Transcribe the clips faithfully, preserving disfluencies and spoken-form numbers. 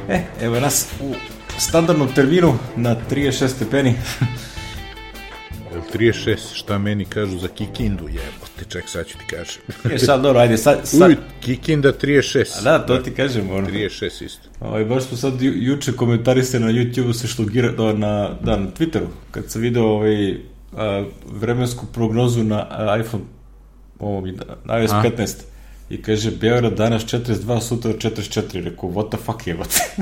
E, evo nas u standardnom terminu na trideset šest stepeni. trideset šest, šta meni kažu za Kikindu, jebote, ček, sad ću ti kažem. Je, sad, dobro, ajde, sad... sad... Uj, Kikinda trideset šest. A da, to ti kažem, ono. trideset šest isto. Ovaj, baš smo sad ju, juče komentarisali na YouTube-u se šlogira, na, da, na Twitteru, kad sam video ovaj, a, vremensku prognozu na a, iPhone, ovom, na iOS petnaest. I kaže, Beograd danas četrdeset dva, sutra četrdeset četiri. Rekao, what the fuck je, what?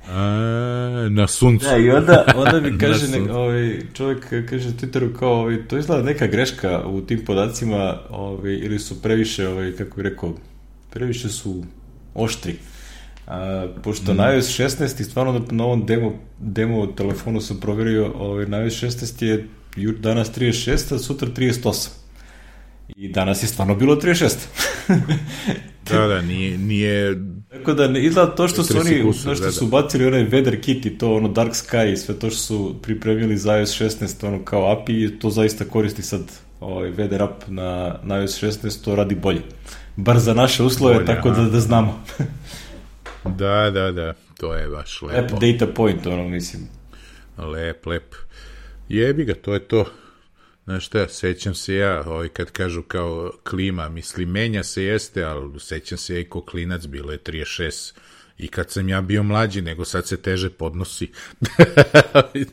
A, na suncu. Da, i onda, onda mi kaže, ne, ovaj, čovjek kaže na Twitteru kao, ovaj, to izgleda neka greška u tim podacima, ovaj, ili su previše, ovaj, kako bih rekao, previše su oštri. A, pošto mm. na iOS šesnaest i stvarno na ovom demo, demo telefonu sam provjerio, ovaj, na iOS šesnaest je danas trideset šest, a sutra trideset osam. I danas je stvarno bilo trideset šest. Da, da, nije... nije... Tako da ne izgleda to što su oni, kusur, što su bacili onaj weather kit i to, ono Dark Sky i sve to što su pripremili za iOS šesnaest, ono kao A P I, to zaista koristi sad ovaj weather app na, na iOS šesnaest, to radi bolje. Bar za naše uslove, bolje, tako da, da znamo. Da, da, da, to je baš lepo. Lep data point, ono, mislim. Lep, lep. Jebi ga, to je to. Znaš šta, sećam se ja, ovaj, kad kažu kao klima, misli, menja se jeste, ali sećam se ja i ko klinac, bilo je trideset šest i kad sam ja bio mlađi, nego sad se teže podnosi.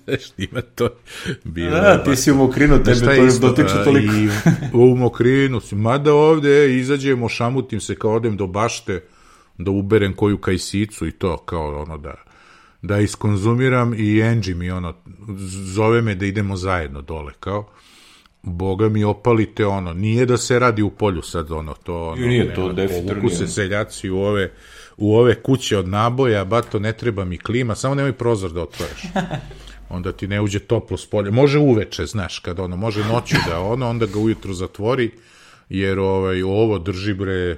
Znaš, ima to. Bilo, da, ti si u mokrinu, tebe to dotiče toliko. I u mokrinu, mada ovde izađemo, šamutim se kao odem do bašte, da uberem koju kajsicu i to, kao ono da... da iskonzumiram i Angie mi ono, zove me da idemo zajedno dole, kao, Boga mi opalite ono, nije da se radi u polju sad ono, to ono, nije to definitivno. Povuku se seljaci u ove, u ove kuće od naboja, bato ne treba mi klima, samo nemoj prozor da otvoriš. Onda ti ne uđe toplo s polja, može uveče, znaš, kad ono, može noću da ono, onda ga ujutru zatvori, jer ovaj, ovo drži bre,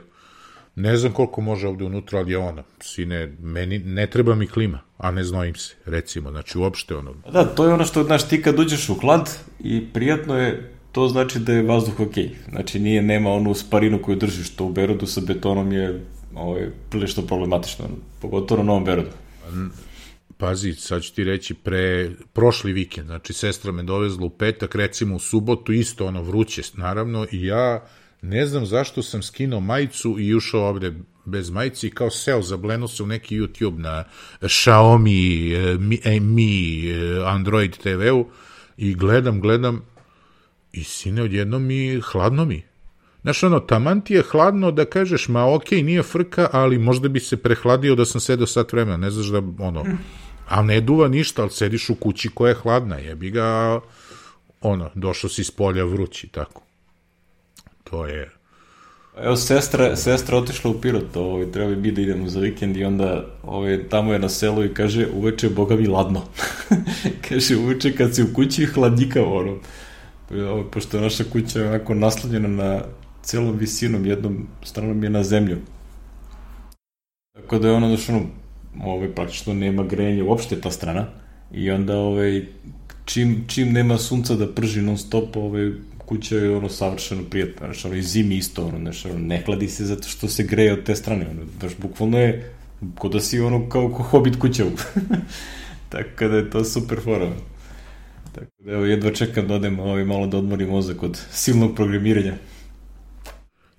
ne znam koliko može ovde unutra, ali je ono, sine, meni ne treba mi klima, a ne znojim se, recimo, znači uopšte ono... Da, to je ono što, znaš, ti kad uđeš u hlad i prijatno je, to znači da je vazduh okej. Znači nije, nema onu sparinu koju držiš, to u Berodu sa betonom je ovaj, prilično problematično, pogotovo na Novom Berodu. Pazi, sad ću ti reći, pre, prošli vikend, znači sestra me dovezla u petak, recimo u subotu, isto ono vruće, naravno, i ja... Ne znam zašto sam skinuo majicu i ušao ovde bez majici i kao seo, zableno se u neki YouTube na Xiaomi, Mi, Mi Android te ve-u i gledam, gledam i sine, odjedno mi, hladno mi. Znaš, ono, taman ti je hladno da kažeš, ma okej, nije frka, ali možda bi se prehladio da sam sedeo sat vremena, ne znaš da, ono, a ne duva ništa, ali sediš u kući koja je hladna, jebi ga, ono, došao si s polja vrući, tako. To je... Evo, sestra, sestra otišla u Pirot, ovaj, treba bi da idemo za vikend i onda ovaj, tamo je na selu i kaže, uveče, boga mi ladno. Kaže, uveče kad si u kući hladnjikavo, ono. Ovaj, pošto je naša kuća onako naslanjena na celom visinom, jednom stranom je na zemlju. Tako da je ono, znaš, ono, ovaj, praktično nema grenja uopšte ta strana i onda, ovaj, čim, čim nema sunca da prži non stop, ovaj, kuća je ono savršeno prijatno, znači ono i zimi isto, ono, znači ono, ne hladi se zato što se greje od te strane, ono, baš bukvalno je ko da si ono kao ko Hobbit kuća. Tako da je to super fora. Tako da evo, jedva čekam da odem ovaj, malo da odmorim mozak od silnog programiranja.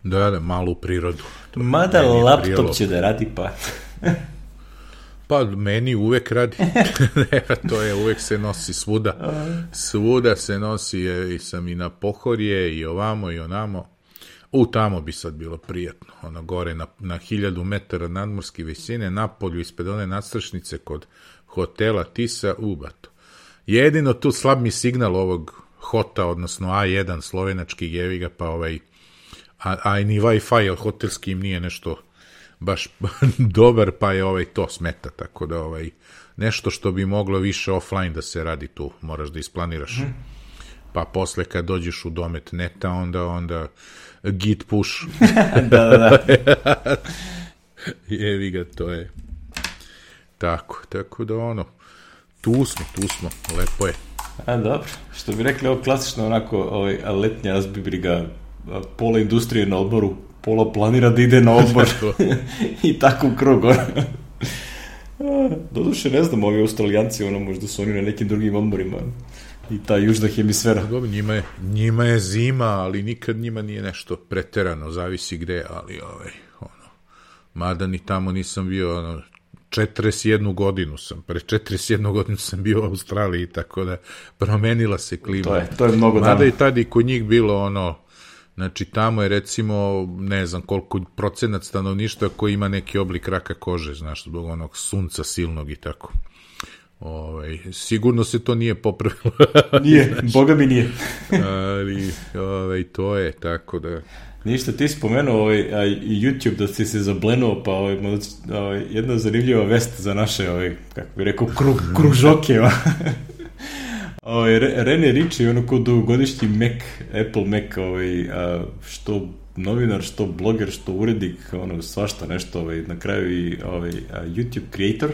Da, da, malo u prirodu. Mada laptop prijelo. Će da radi, pa... Pa, meni uvek radi. To je, uvek se nosi svuda. Svuda se nosi, je, i sam i na Pohorje, i ovamo, i onamo. U, tamo bi sad bilo prijatno. Ono, gore na, na hiljadu metara nadmorske visine, napolju, ispred one nadstrešnice kod hotela Tisa, u, bato. Jedino tu slab mi signal ovog hota, odnosno A jedan slovenački jeviga, pa ovaj, a, a ni Wi-Fi hotelski im nije nešto baš dobar, pa je ovaj to smeta, tako da ovaj nešto što bi moglo više offline da se radi tu, moraš da isplaniraš. Mm. Pa posle kad dođeš u domet neta, onda onda git push. Da, da, da. Jevi ga, to je tako, tako da ono, tu smo, tu smo, lepo je. A, dobro, što bi rekli, ovo klasično onako, ovaj, letnja azbibriga, pola industrije na odmoru, pola planira da ide na odmor i tako u krug. Doduše, ne znam, ovi Australijanci, ono, možda su oni na nekim drugim odmorima i ta južna hemisfera. Dobro, njima je, njima je zima, ali nikad njima nije nešto preterano, zavisi gde, ali ovaj, ono, mada ni tamo nisam bio, ono, četrdeset jednu godinu sam, pre četrdeset jednu godinu sam bio u Australiji, tako da promenila se klima. To je, to je mnogo dana. Mada i tada i kod njih bilo, ono, znači tamo je recimo, ne znam koliko procenat stanovništva koji ima neki oblik raka kože, znaš, zbog onog sunca silnog i tako. Ovaj, sigurno se to nije popravilo. Nije, boga mi nije. Ali, ovaj, to je tako da... Ništa, ti spomenuo ovaj, YouTube da si se zablenuo, pa ovaj, ovaj, jedna zanimljiva vest za naše, ovaj, kako bi rekao, krug, kružoke. Ovaj, Rene Ritchie, ono ko dugogodišnji Mac, Apple Mac, ovaj, a, što novinar, što bloger, što urednik, ono, svašta nešto, ovaj, na kraju i ovaj, YouTube creator.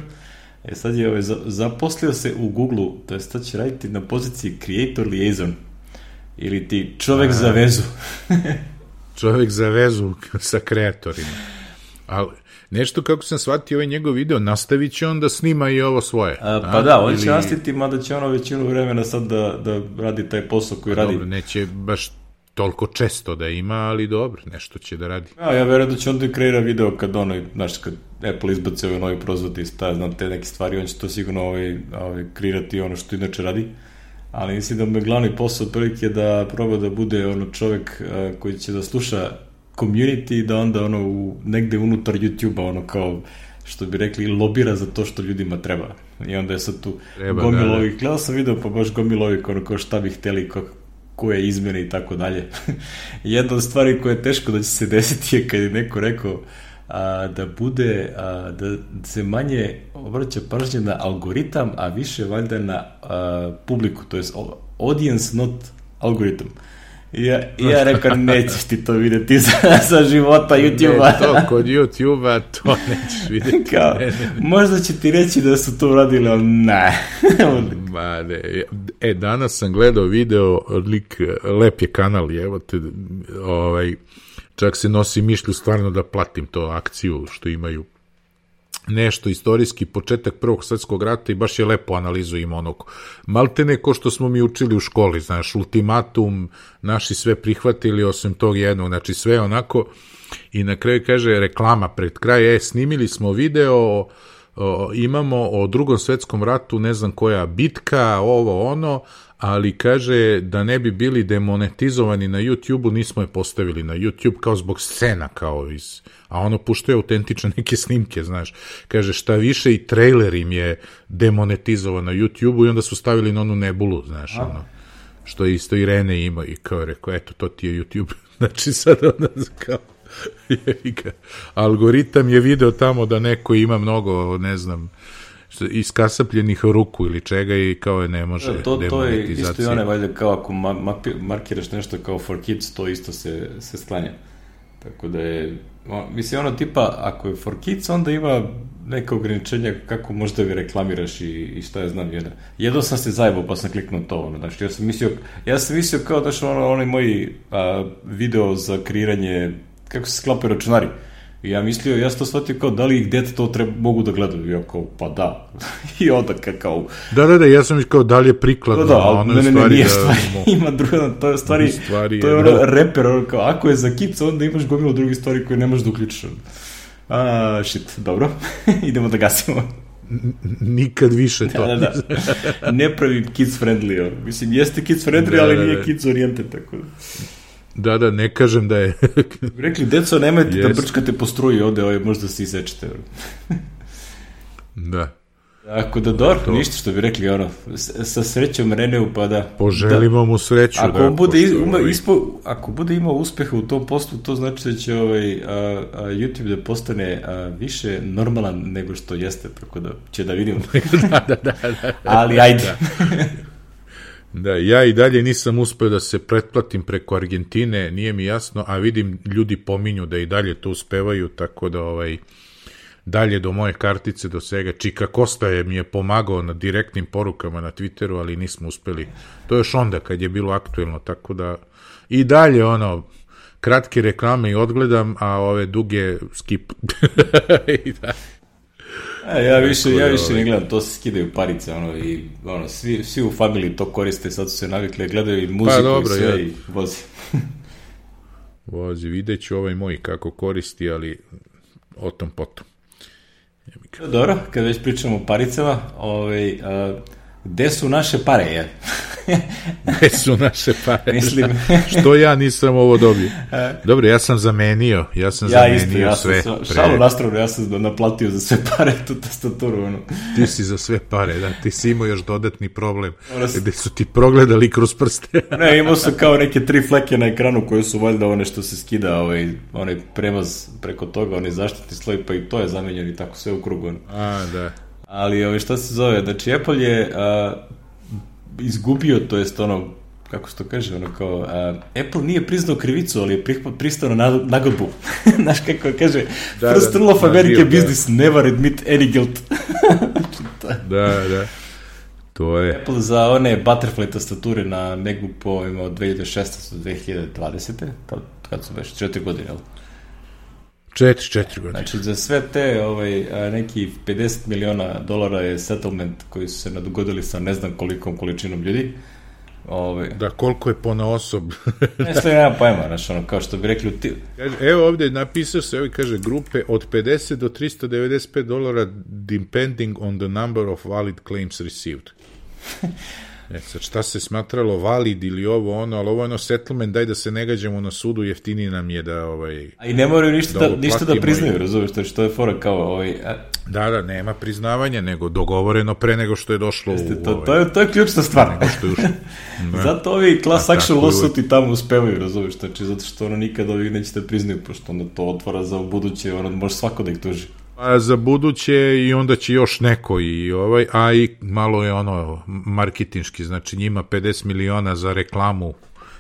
E sad je ovaj, zaposlio se u Google-u, to je sad će raditi na poziciji Creator Liaison, ili ti čovek a, za vezu. Čovek za vezu sa kreatorima. Ali nešto kako sam shvatio ovaj njegov video, nastavit će on da snima i ovo svoje. A, pa a, da, on ili... će nastaviti, mada će ono većinu vremena sad da, da radi taj posao koji dobro, radi. Dobro, neće baš toliko često da ima, ali dobro, nešto će da radi. Ja, ja verujem da će onda kreira video kad ono, znaš, kad Apple izbaci ovaj novi proizvod i sta, znam te neke stvari, on će to sigurno ovaj, ovaj, kreirati ono što inače radi. Ali mislim da mu je glavni posao otprilike da proba da bude ono čovek a, koji će da sluša community i da onda ono u, negde unutar YouTube-a ono kao što bi rekli lobira za to što ljudima treba. I onda je sad tu gomilovi, da, da. Gledao sam video pa baš gomilovi ono kao šta bi hteli, ko, koje izmene i tako dalje. Jedna od stvari koja je teško da će se desiti je kad je neko rekao a, da bude, a, da se manje obraća pažnje na algoritam, a više valjda na a, publiku, to je audience not algoritam. I ja, ja rekao, nećeš ti to vidjeti za, za života YouTube-a. Ne, to kod YouTube-a to nećeš vidjeti. Kao, ne, ne. Možda će ti reći da su to uradili, ali ne. Ma ne. E, danas sam gledao video, lik, lep je kanal, evo te, ovaj, čak se nosi mišlju stvarno da platim to akciju što imaju. Nešto istorijski početak Prvog svjetskog rata i baš je lepo analizu ima onog maltene ko što smo mi učili u školi, znaš, ultimatum, naši sve prihvatili osim tog jednog, znači sve onako i na kraju kaže reklama pred kraj, e, snimili smo video, o, imamo o Drugom svjetskom ratu, ne znam koja bitka, ovo ono, ali kaže da ne bi bili demonetizovani na YouTube-u, nismo je postavili na YouTube kao zbog scena, kao iz, a ono puštuje autentične neke snimke, znaš. Kaže šta više i trailer im je demonetizovan na YouTube-u i onda su stavili na onu nebulu, znaš, a? Ono, što isto i Rene ima i kao rekao, eto, to ti je YouTube. Znači sad onda kao, algoritam je video tamo da neko ima mnogo, ne znam, iskasapljenih ruku ili čega i kao je ne može to, to je isto i one valjda kao ako ma, ma, markiraš nešto kao for kids, to isto se, se sklanja. Tako da je, mislim ono tipa, ako je for kids, onda ima neka ograničenja kako možda ga reklamiraš i, i šta je znam. Jedna. Jedno sam se zajebao pa sam kliknuo to. Ono, znači, ja sam mislio, ja sam mislio kao da što ono, onaj moj a, video za kreiranje, kako se sklapaju računari. I ja mislio, ja sam to shvatio kao da li ih dete to treba, mogu da gledaju. Ja kao, pa da. I onda kao... Da, da, da, ja sam kao da li je prikladno. Da, da, ali ne, ne, ne, nije stvari. Da, ima druga, to je stvari, stvari to je ono da. Reper, ono kao, ako je za kids, onda imaš gomilu drugih stvari koje ne možeš da uključiš. A, shit, dobro. Idemo da gasimo. Nikad više to. Da, da, da. Ne pravi kids friendly. Ono. Mislim, jeste kids friendly, da, ali da, nije da. Kids oriented, tako da... Da, da, ne kažem da je... Rekli, deco, nemojte yes. da brčkate po struji ovde, ovdje možda se isečete. Da. Ako da dobro, to... ništa što bi rekli, ono, sa srećom Reneu, pa da... Poželimo da, mu sreću. Ako, da, bude, ima, ispo, ako bude imao uspeha u tom poslu, to znači da će ovaj, a, a, YouTube da postane a, više normalan nego što jeste, tako da će da vidimo. da, da, da, da. Ali ajde. Da. Da, ja i dalje nisam uspeo da se pretplatim preko Argentine, nije mi jasno, a vidim ljudi pominju da i dalje to uspevaju, tako da ovaj, dalje do moje kartice, do svega. Čika Kosta je mi je pomagao na direktnim porukama na Twitteru, ali nismo uspeli. To je još onda kad je bilo aktuelno, tako da i dalje ono, kratke reklame i odgledam, a ove duge skip. I da. A, ja više, ja više ne gledam, to se skidaju parice, ono, i ono, svi, svi u familiji to koriste, sad su se navikli, gledaju i muziku pa, dobro, i sve ja. I vozi. Vozi, vidjet ću ovaj moj kako koristi, ali o tom potom. Dobro, kad već pričamo o paricama, ovaj, a, gde su naše pare, je? Gde su naše pare? Mislim. Što ja nisam ovo dobio? Dobro, ja sam zamenio, ja sam ja zamenio isto, ja sve. Sam, pre... Šalu nastranu, ja sam naplatio za sve pare tu tastaturu. Ono. Ti si za sve pare, da, ti si imao još dodatni problem, sam... gde su ti progledali kroz prste. Ne, imao su kao neke tri fleke na ekranu koje su valjda one što se skida, ovaj, onaj premaz preko toga, onaj zaštitni sloj, pa i to je zamenjeno i tako sve u krugu. Ono. A, da. Ali ovaj, šta se zove, znači Apple je a, izgubio, to jest ono, kako se to kaže, ono kao, a, Apple nije priznao krivicu, ali je pristao na nagodbu. Znaš kako kaže, da, first rule of American business, da. Never admit any guilt. Da, da, to je. Apple za one butterfly tastature na MacBooku imao dve hiljade šesnaeste do dve hiljade dvadesete Kad, kad su već četiri godine, jel? Četiri, četiri godine. Znači, za sve te ovaj, neki pedeset miliona dolara je settlement koji su se nadogodili sa ne znam kolikom količinom ljudi. Ovaj. Da, koliko je po na osob. Ne sve nema pojma, znaš, ono, kao što bi rekli... Ti... Kaže, evo ovde napisao se, evo kaže, grupe od pedeset do tristo devedeset pet dolara depending on the number of valid claims received. E, sad, šta se smatralo valid ili ovo ono, ali ovo je ono settlement, daj da se ne gađamo na sudu, jeftiniji nam je da... Ovaj, a i ne moraju ništa da, ništa da priznaju, i... razumiješ, što je fora kao... Ovaj, a... Da, da, nema priznavanja, nego dogovoreno pre nego što je došlo Jeste, u... To, ovaj, to, je, to je ključna stvar. Što je zato ovi class action lawsuiti tamo uspevaju, razumiješ, znači, zato što ono nikad ovi neće da priznaju, pošto onda to otvara za buduće, ono može svako da ih tuži. A za buduće i onda će još neko i ovaj, a i malo je ono marketinški, znači njima pedeset miliona za reklamu,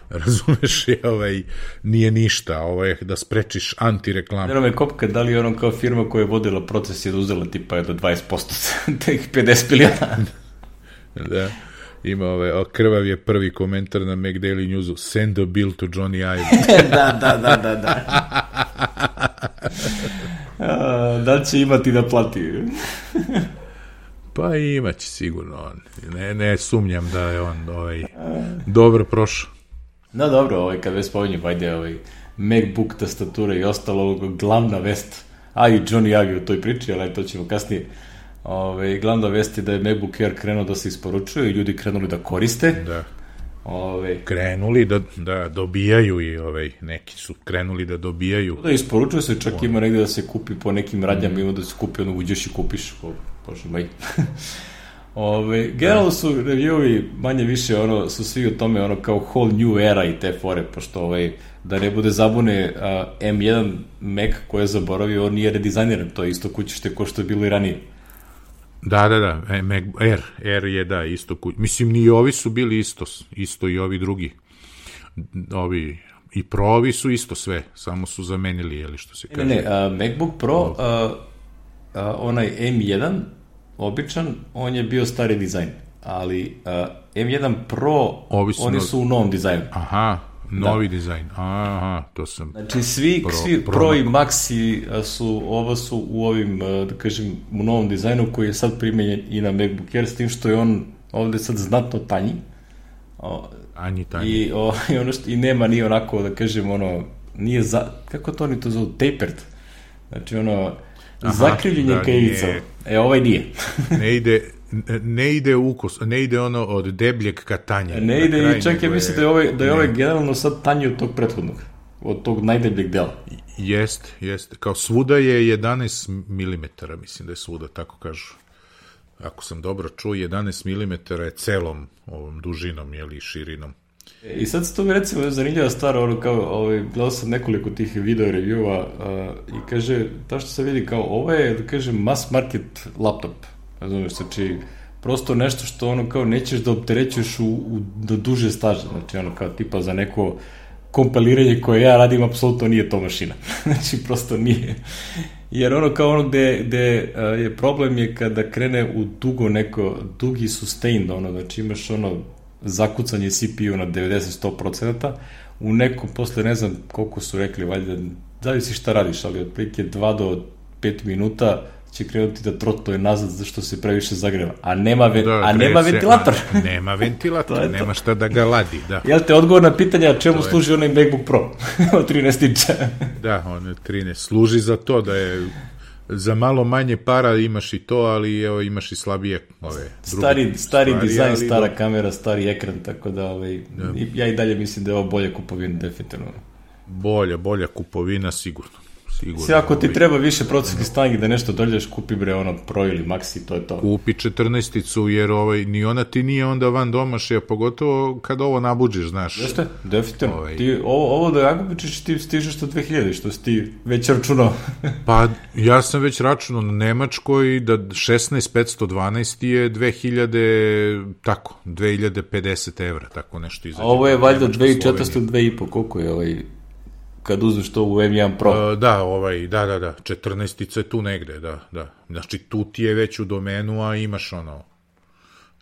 razumeš, je, ovaj, nije ništa, ovaj, da sprečiš antireklamu. Vero me kopka, da li je ono kao firma koja je vodila proces je da uzela tipa do dvadeset posto teh pedeset miliona? Da, ima ovaj, krvav je prvi komentar na Mac Daily Newsu, send a bill to Johnny Ive. da, da, da, da, da. A, da li će imati da plati? Pa imaće sigurno on. Ne, ne sumnjam da je on ovaj, dobro prošao. No dobro, ovaj, kad već spominjem, ajde, ovaj, MacBook tastatura i ostalo, glavna vest, a i Johnny Ive u toj priči, ali to ćemo kasnije. Ove, glavna vest je da je MacBook Air krenuo da se isporučuje i ljudi krenuli da koriste. Da. Ove, krenuli da, da dobijaju i ovaj, neki su krenuli da dobijaju. Da isporučuje se, čak o. Ima negde da se kupi po nekim radnjama, mm. ima da se kupi, ono uđeš i kupiš. O, bože moj. Ove, generalno su review-ovi manje više ono, su svi u tome ono kao whole new era i te fore, pošto ovaj, da ne bude zabune a, M jedan Mac koji je zaboravio, on nije redizajniran, to je isto kućište ko što je bilo i ranije. Da, da, da, Mac Air, Air je da, isto kuć. Mislim, ni ovi su bili isto, isto i ovi drugi. Ovi, i Pro-ovi su isto sve, samo su zamenili, jeli što se kaže. Ne, ne, a, MacBook Pro, a, a, onaj M jedan, običan, on je bio stari dizajn, ali a, M jedan Pro, ovi su oni no... su u novom dizajnu. Aha, novi da. Dizajn, aha, to sam... Znači, svi, pro, svi Pro, pro i Maxi su, ovo su u ovim, da kažem, u novom dizajnu koji je sad primenjen i na MacBook Air, s tim što je on ovde sad znatno tanji. O, Anji tanji. I, o, i, ono što, i nema ni onako, da kažem, ono, nije za... Kako to oni to zovu? Tapered. Znači, ono, aha, zakrivljenje da, kajica. E, ovaj nije. Ne ide... ne ide ukus, ne ide ono od debljeg ka tanjem. Ne ide i čak ja mislim da je ovaj, da je ovaj generalno sad tanji od tog prethodnog, od tog najdebljeg dela. Jest, jest. Kao svuda je jedanaest milimetara, mislim da je svuda, tako kažu. Ako sam dobro čuo, jedanaest milimetara je celom ovom dužinom, jeli, širinom. I sad se to mi recimo zanimljiva stvar, ono kao, ovaj, gledao sam nekoliko tih video reviewa uh, i kaže, ta što se vidi kao, ovo je, da kažem, mass market laptop. Razumiješ, znači, prosto nešto što ono kao nećeš da opterećuješ u, u, do duže staže, znači ono kao tipa za neko kompiliranje koje ja radim, apsolutno nije to mašina, znači prosto nije, jer ono kao ono gde, gde uh, je problem je kada krene u dugo neko, dugi sustained, ono, znači imaš ono zakucanje C P U na devedeset do sto procenata, u nekom, posle ne znam koliko su rekli, valjda, zavisi šta radiš, ali otprilike dva do pet minuta će krenuti da trotuje nazad zašto se previše zagreva. A nema, ve, da, a nema se, ventilator. A, nema ventilator, nema šta da ga ladi, da. Jel te odgovor na pitanje čemu to služi je... onaj MacBook Pro od trinaest inča? Da, on trinaest. Služi za to da je za malo manje para imaš i to, ali evo, imaš i slabije ove stari, stari stvari, dizajn, ali stara do... kamera, stari ekran, tako da ovaj, da. ja i dalje mislim da je ovo bolja kupovina, definitivno. Bolja, bolja kupovina, sigurno. sigurno Sve, ako ti ovaj... treba više procesorskih snagi da nešto dođeš, kupi bre ono Pro ili Maxi, to je to. Kupi četrnaesticu, jer ovaj, ni ona ti nije onda van domašaja, pogotovo kad ovo nabuđeš, znaš. Jeste, definitivno. Ovaj... Ti, ovo, ovo da nakupiš, ti stižeš do dve hiljade, što si ti već računao. Pa, ja sam već računao na Nemačkoj da šesnaest petsto dvanaest je dve hiljade, tako, dve hiljade pedeset evra, tako nešto izađe. A ovo je valjda dve hiljade četiristo, dve i po, koliko je ovaj... kad uzmeš to u em jedan Pro. Uh, da, ovaj, da, da, da, četrnaestica je tu negde, da, da. Znači, tu ti je već u domenu, a imaš ono,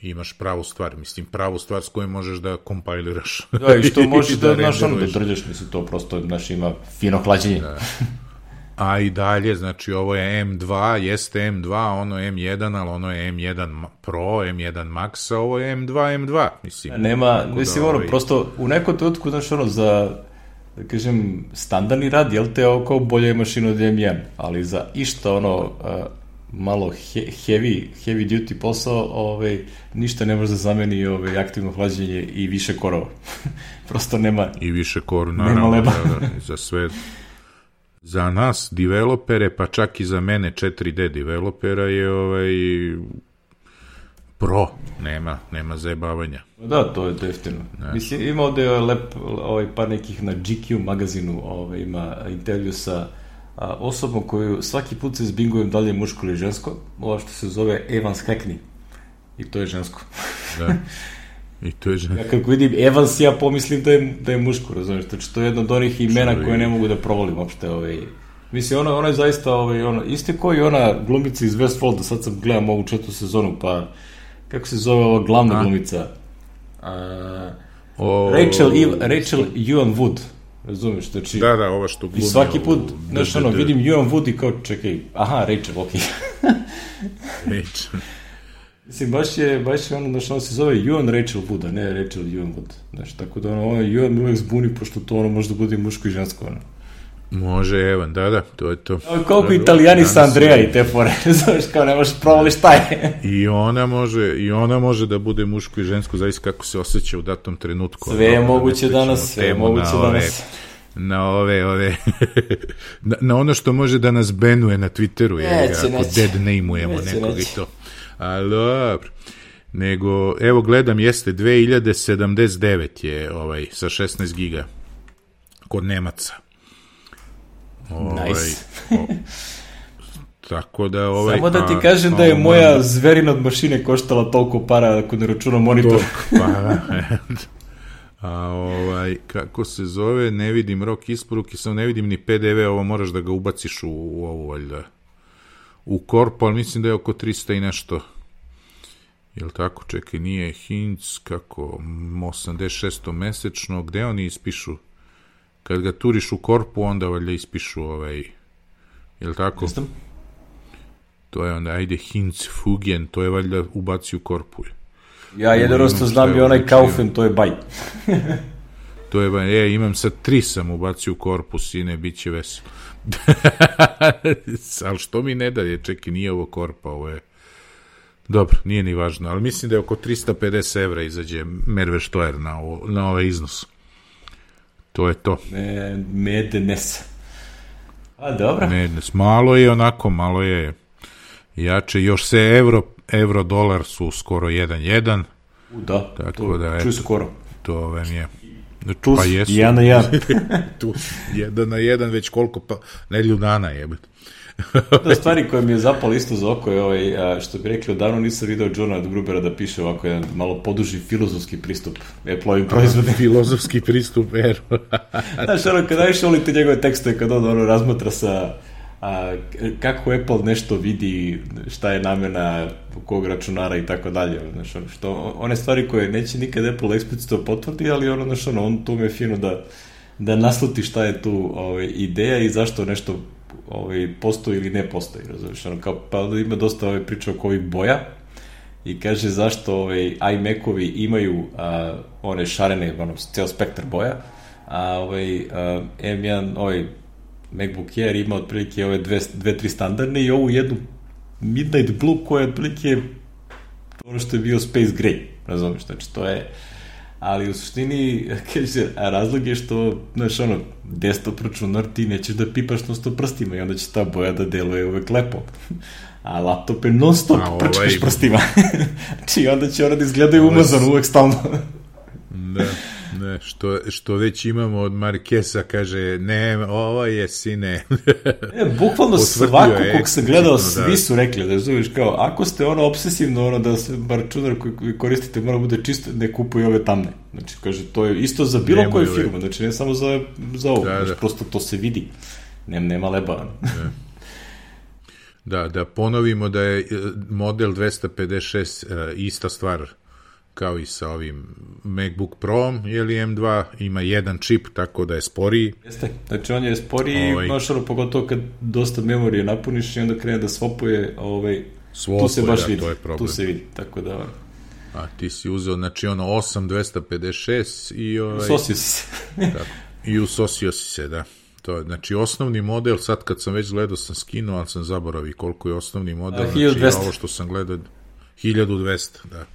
imaš pravu stvar, mislim, pravu stvar s kojom možeš da kompajliraš. Da, i što možeš da, znaš, ono, da drđaš, mislim, to prosto, znaš, ima fino hlađenje. Da. A i dalje, znači, ovo je em dva, jeste em dva, ono je em jedan, ali ono je em jedan Pro, em jedan Max, a ovo je em dva, em dva, mislim. Nema, mislim, da, ono, ovaj... prosto, u nekom trenutku, znaš, ono, za... da kažem, standardni rad, jel te ovo kao bolja je mašina od em jedan, ali za išta ono uh, malo he, heavy, heavy duty posao, ovaj, ništa ne može da zameni ovaj, aktivno hlađenje i više korova. Prosto nema... I više korova, naravno, da, da, za sve... Za nas, developere, pa čak i za mene četiri de developera je ovaj... Pro, nema, nema zajebavanja. Da, to je definitivno. Ne. Mislim, ima ovde lep, ovaj, par nekih na G Q magazinu, ovaj, ima intervju sa a, osobom koju svaki put se zbingujem da li je muško ili žensko, ovo što se zove Evans Hackney. I to je žensko. Da, i to je žensko. Ja kako vidim Evans, ja pomislim da je, da je muško, razumiješ, znači to je jedno od onih imena koje ne mogu da provolim uopšte, ovaj... Mislim, ono, ono je zaista, ovaj, ono, isto kao i ona glumica iz Westworlda, sad sam gledam ovu četvrtu sezonu, pa kako se zove ova glavna A? glumica? A, o... Rachel, Eve, Rachel Ewan Wood, razumiješ, znači... Da, da, ova što glumi... I svaki put, znaš, ono, vidim Ewan Wood i kao, čekaj, aha, Rachel, okej. Okay. Rachel. Mislim, baš je, baš je ono, znaš, ono se zove Ewan Rachel Wood, a ne Rachel Ewan Wood, znaš, tako da ono, ono, Ewan me uvek zbuni, pošto to ono može da bude muško i žensko, ono. Može, Evan, da, da, to je to. Koliko Italijani sa Andreja i te fore, znaš, kao ne možeš provali šta je. I ona može, i ona može da bude muško i žensko, zavisi kako se osjeća u datom trenutku. Sve je moguće danas, sve je moguće danas. Na ove, ove, na, na ono što može da nas benuje na Twitteru, je, neće, ako neće. Dead name-ujemo neće, nekog neće. I to. Ali dobro. Nego, evo gledam, jeste dve hiljade sedamdeset devet je ovaj, sa šesnaest giga kod Nemaca. Ovaj, nice. o, tako da ovaj... Samo da ti kažem a, da je a, moja man... zverina od mašine koštala toliko para ako ne računam monitor. Pa, a ovaj, kako se zove, ne vidim rok isporuke, sam ne vidim ni P D V, ovo moraš da ga ubaciš u, u ovu, valjda, u korpu, ali mislim da je oko trista i nešto. Jel tako, čekaj, nije Hinc, kako, osamdeset šest mesečno, gde oni ispišu? Kad ga turiš u korpu, onda valjda ispišu ovaj, jel tako? Jestem. To je onda, ajde, Hinz Fugen, to je valjda ubaci u korpu. Ja jednostavno znam i onaj Kaufen, to je baj. To je baj, je, imam sad tri sam ubacio u korpus i ne, bit će veselo. Ali što mi ne da je, čekaj, nije ovo korpa, ovo je... Dobro, nije ni važno, ali mislim da je oko trista pedeset evra izađe Merve Štojer na, ovo, na ovaj iznos. To je to. E, Mednes. A, dobro. Mednes. Malo je onako, malo je jače. Još se euro, euro dolar su skoro jedan jedan. U, da. Tako to, da, čuj skoro. To vam je... Tu pa jesu. jedan na jedan. Tu jedan na jedan, već koliko pa... Nedlju dana jebet. Da, stvari koje mi je zapalo isto za oko je ovaj, što bi rekli, odavno nisam video Johna Grubera da piše ovako jedan malo poduži filozofski pristup Apple-ovim proizvodima. Filozofski pristup, ero. Znaš, ono, kada najviše volite njegove tekstove, kada on ono razmatra sa a, kako Apple nešto vidi, šta je namena kog računara i tako dalje. Znaš, ono, što, one stvari koje neće nikad Apple eksplicitno potvrdi, ali ono, znaš, ono, on tu me je fino da, da nasluti šta je tu ovaj, ideja i zašto nešto ovaj, postoji ili ne postoji, razumiješ, ono, kao, pa onda ima dosta ovaj, priča oko ovih boja, i kaže zašto ovaj, iMac-ovi imaju a, one šarene, ono, ceo spektar boja, a ovaj, a, M jedan, ovaj, MacBook Air ima otprilike ove dve, dve, tri standardne i ovu jednu Midnight Blue koja je otprilike ono što je bio Space Gray, razumiješ, znači to je, ali u suštini, kaže, a razlog je što, znaš, ono, desktop računar ti nećeš da pipaš non stop prstima i onda će ta boja da deluje uvek lepo. A laptop je non stop a, prčkaš ovaj... prstima. Znači, onda će ona da izgledaju ovaj... umazano uvek stalno. Da, ne, što, što već imamo od Markesa, kaže, ne, ovo je sine. E, bukvalno svako kog sam gledao, svi su rekli, da zoveš kao, ako ste ono obsesivno, ono da se računar koji koristite mora bude čisto, ne kupuju ove tamne. Znači, kaže, to je isto za bilo koju firmu, znači ne samo za, za ovo, da, znači, da. Prosto to se vidi. Nem, nema leba. Da. Da, da ponovimo da je model dvesta pedeset šest uh, ista stvar kao i sa ovim MacBook Pro, ili M dva, ima jedan čip, tako da je sporiji. Jeste, znači on je sporiji, ovaj... noš ono, pogotovo kad dosta memorije napuniš i onda krene da swapuje, ovaj, Swapuje, tu se baš da, vidi, to je problem. Tu se vidi, tako da... A ti si uzeo, znači ono osam dvesta pedeset šest i... Ovaj, usosio si se. Tako, i usosio si se, da. To je, znači, osnovni model, sad kad sam već gledao, sam skinuo, ali sam zaboravio koliko je osnovni model. A, hiljadu dvesta. Znači, ovo što sam gledao, hiljadu dvesta, da.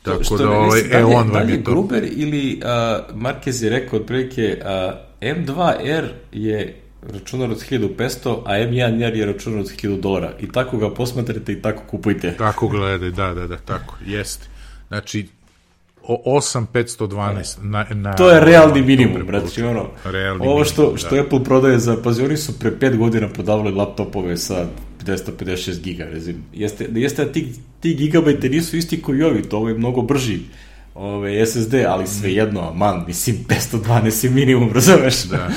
Tako što da, ovaj, e, on vam je to... Gruber ili uh, Marquez je rekao, otprilike, uh, M dva R je računar od hiljadu petsto, a M jedan R je računar od hiljadu dolara. I tako ga posmatrate i tako kupujte. Tako gledaj, da, da, da, tako, jeste. Znači, osam petsto dvanaest na, na, to je realni minimum, brate, ono, realni ovo što, minimum, što da. Apple prodaje za, pazi, oni su pre pet godina prodavali laptopove sa dvesta pedeset šest giga, rezim. Jeste, jeste da ti, ti gigabajte nisu isti koji ovi, to ovo je mnogo brži ove, S S D, ali svejedno, man, mislim, petsto dvanaest je minimum, razumeš? Da,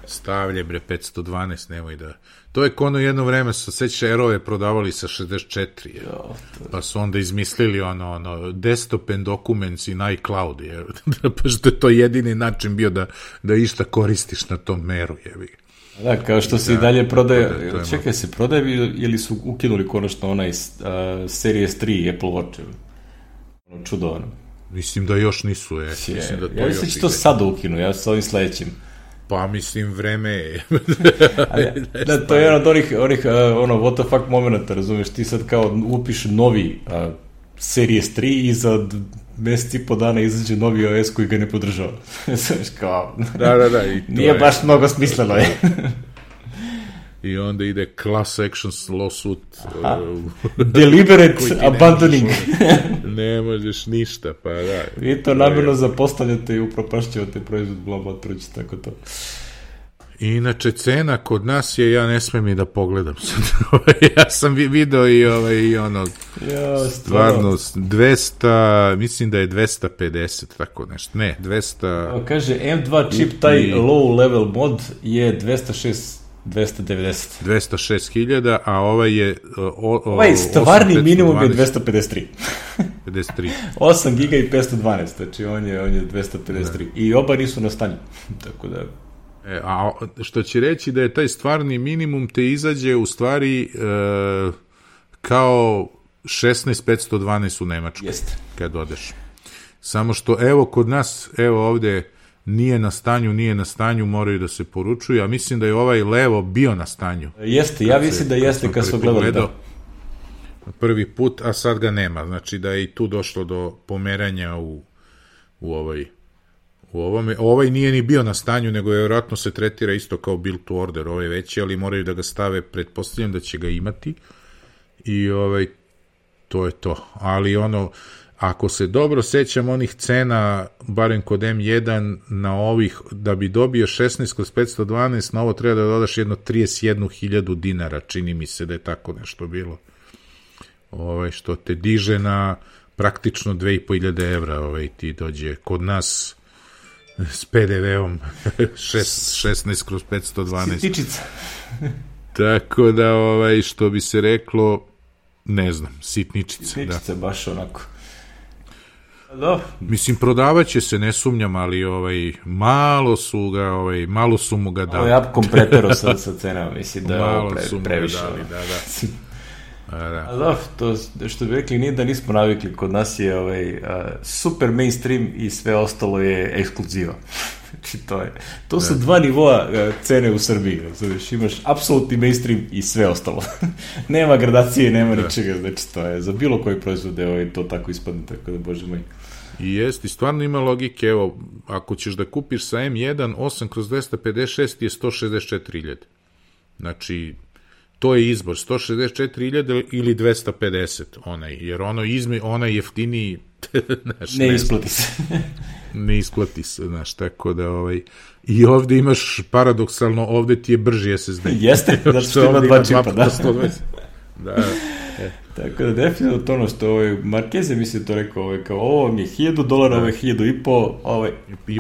stavlje, bre, petsto dvanaest, nemoj da... To je kono jedno vreme, sa seća Aerove prodavali sa šezdeset četiri, je. Jo, to... pa su onda izmislili ono, ono desktop and documents in iCloud, je. Pa što je to jedini način bio da, da išta koristiš na tom meru, je. Da, kao što se i dalje prodaje, da, čekaj, se prodaje ili su ukinuli konačno onaj uh, Series tri Apple Watch, ono čudo, ono. Mislim da još nisu, je. je mislim da to ja mislim da će to sada ukinu, ja sa ovim sledećim. Pa mislim, vreme je. Da, to je jedan od onih, onih uh, ono, what the fuck momenta, razumeš, ti sad kao upiš novi uh, Series tri i za mesec i po dana izađe novi O S koji ga ne podržava. Znaš, kao... Da, da, da. I to nije je... baš mnogo smisleno je. I onda ide class action lawsuit. Uh, deliberate abandoning. Ne možeš ništa, pa da. Vi to namjerno zapostavljate i upropašćavate proizvod blama, proći tako to. Inače, cena kod nas je, ja ne smem i da pogledam sad. Ja sam video i, ovaj, i ono, ja, stvarno, dvesta, mislim da je dvesta pedeset, tako nešto, ne, dvesta... O, kaže, M dva čip, taj i, low level mod je dvesta šest dvesta devedeset. dvesta šest hiljada, a ovaj je... O, o, ovaj stvarni minimum je dvesta pedeset tri. pedeset tri. osam giga i petsto dvanaest, znači on je, on je dvesta pedeset tri. Da. I oba nisu na stanju, tako da... E, a što će reći da je taj stvarni minimum te izađe u stvari e, kao šesnaest petsto dvanaest u Nemačkoj. Jeste. Kad odeš. Samo što evo kod nas, evo ovde nije na stanju, nije na stanju, moraju da se poručuju, a mislim da je ovaj levo bio na stanju. Jeste, ja mislim da jeste kad su gledali, da. Prvi put, a sad ga nema. Znači da je i tu došlo do pomeranja u, u ovoj u ovome. Ovaj nije ni bio na stanju, nego je vjerojatno se tretira isto kao build to order, ovaj veći, ali moraju da ga stave, pretpostavljam da će ga imati i ovaj, to je to. Ali ono, ako se dobro sećam onih cena, barem kod M jedan, na ovih, da bi dobio šesnaest kroz petsto dvanaest, na ovo treba da dodaš jedno trideset jednu hiljadu dinara, čini mi se da je tako nešto bilo. Ovaj, što te diže na praktično dve i po hiljade evra, ovaj, ti dođe kod nas s P D V-om šesnaest kroz petsto dvanaest. Sitničica. Tako da, ovaj, što bi se reklo, ne znam, sitničica. Sitničica, da. Baš onako. Da. Mislim, prodavat će se, ne sumnjam, ali ovaj, malo su ga, ovaj, malo su mu ga dali. Ovo je apkom pretero sa, sa cenama, mislim da je ovo pre, previše. Dali, da, da. A, da. A da, to što bi rekli, nije da nismo navikli, kod nas je ovaj, uh, super mainstream i sve ostalo je ekskluziva. Znači, to je, to su dva nivoa uh, cene u Srbiji, znači imaš apsolutni mainstream i sve ostalo. Nema gradacije, nema da. ničega, znači to je, za bilo koji proizvod je ovaj, to tako ispadne, tako da, bože moj. I jest, i stvarno ima logike, evo, ako ćeš da kupiš sa M jedan osam kroz dvesta pedeset šest je sto šezdeset četiri hiljade. Znači, to je izbor, sto šezdeset četiri hiljade ili dvesta pedeset, onaj, jer ono izme, onaj jeftiniji, znaš, ne, ne isplati se. Ne isplati se, znaš, tako da, ovaj, i ovde imaš, paradoksalno, ovde ti je brži S S D. Jeste, znači što ima dva čipa, da. Da, e. Tako da, definitivno to ono što ovaj, Marquez je mislio to rekao, ovaj, kao ovo vam je hiljadu dolara, ovo je hiljadu i po, ovaj,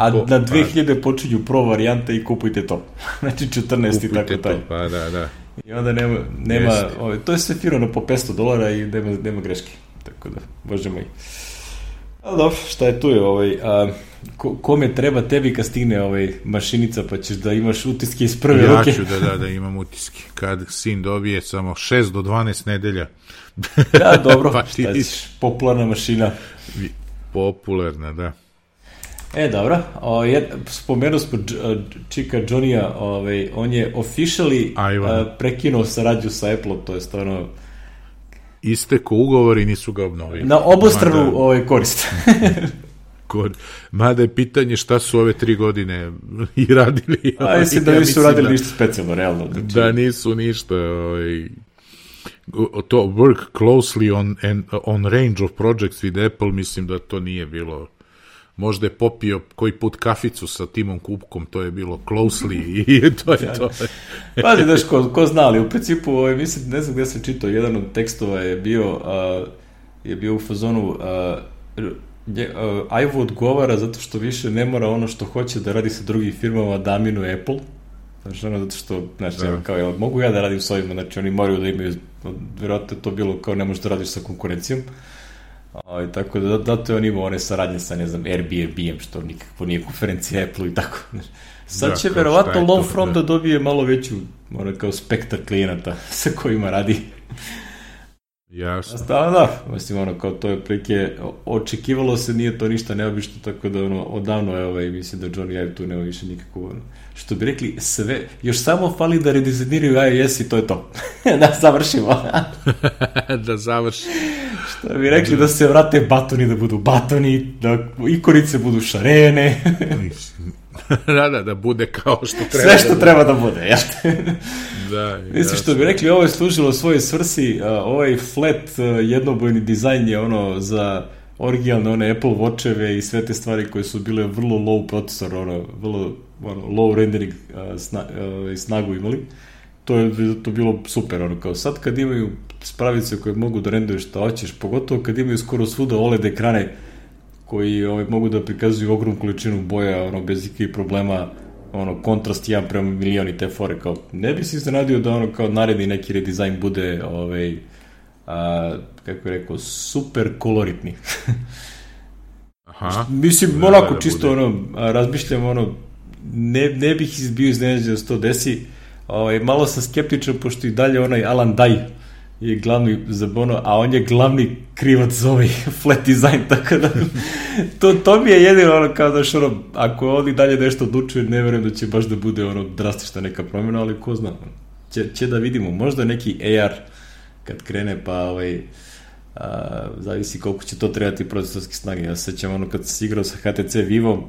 a na dve hiljade počinju pro varijanta i kupujte to. Znači četrnaest i tako taj. Pa da, da. I onda nema, nema ovaj, to je sve firano po petsto dolara i nema, nema greške. Tako da, bože moj. Ali dobro, šta je tu je, ovaj, a, ko, kome treba tebi kad stigne ovaj, mašinica pa ćeš da imaš utiske iz prve ja ruke? Ja ću da, da, da imam utiske. Kad sin dobije samo šest do dvanaest nedelja. Da, dobro, pa šta ćeš, popularna mašina. Popularna, da. E, dobro, o, je, spomenuo smo čika Johnny-a, ovaj, on je officially a, prekinuo saradnju sa Apple-om, to je stvarno... Isteko ugovor i nisu ga obnovili. Na obostranu Mada... ovaj, korist. Kor... Mada je pitanje šta su ove tri godine i radili. A mislim da ja nisu radili da... ništa specijalno, realno. Znači... Da nisu ništa... Ovaj... to work closely on, on range of projects with Apple, mislim da to nije bilo... Možda je popio koji put kaficu sa Timom Kupkom, to je bilo closely i to je to. Pazi, daš, ko, ko zna, ali u principu, ovaj, mislim, ne znam gde sam čitao, jedan od tekstova je bio, uh, je bio u fazonu, uh, je, uh, Ivo odgovara zato što više ne mora ono što hoće da radi sa drugim firmama da aminuje Apple, znači ono zato što, znači, da. kao, ja, mogu ja da radim s ovima, znači oni moraju da imaju, vjerojatno je to bilo kao ne možeš da radiš sa konkurencijom. O, tako da, zato je on imao one saradnje sa, ne znam, Airbnb-em, što nikakvo nije konferencija Apple i tako. Sad da, će verovatno Longfront da. da dobije malo veću, ono, kao spektar klijenata sa kojima radi. Jasno. Da, da, mislim, ono, kao to je prilike, očekivalo se, nije to ništa neobično, tako da, ono, odavno je, ovaj, mislim da Johnny Ive tu nema više nikakvo, ono, što bi rekli, sve, još samo fali da redizajniraju iOS i to je to. Da završimo. Da završi. Što bi rekli, da se vrate batoni, da budu batoni, da ikonice budu šarene. Da, da, da bude kao što treba. Sve što da treba da bude, ja. Da, mislim, što bi rekli, ovo je služilo svojoj svrsi, uh, ovaj flat uh, jednobojni dizajn je ono za originalne one Apple Watcheve i sve te stvari koje su bile vrlo low procesor, ono, vrlo ono, low rendering uh, sna, uh, snagu imali. To je to bilo super, ono, kao sad kad imaju spravice koje mogu da renduju šta hoćeš, pogotovo kad imaju skoro svuda O L E D ekrane koji ovaj, mogu da prikazuju ogromnu količinu boja, ono, bez ikakvih problema, ono, kontrast jedan prema milion i te fore, kao, ne bi se iznenadio da ono, kao, naredi neki redizajn bude, ovaj, a, kako je rekao, super koloritni. Aha. Mislim, da, onako, da čisto, bude. ono, razmišljam, ono, ne, ne bih bio iznenađen da se to desi, ovaj, malo sam skeptičan, pošto i dalje onaj Alan Dye je glavni za ono, a on je glavni krivac za ovaj flat design, tako da to, to mi je jedino ono kao da što ono, ako on i dalje nešto odlučuje, ne verujem da će baš da bude ono drastična neka promjena, ali ko zna, će, će da vidimo, možda neki A R kad krene, pa ovaj, a, zavisi koliko će to trebati procesorske snage. Ja se sećam ono kad sam igrao sa H T C Vivom,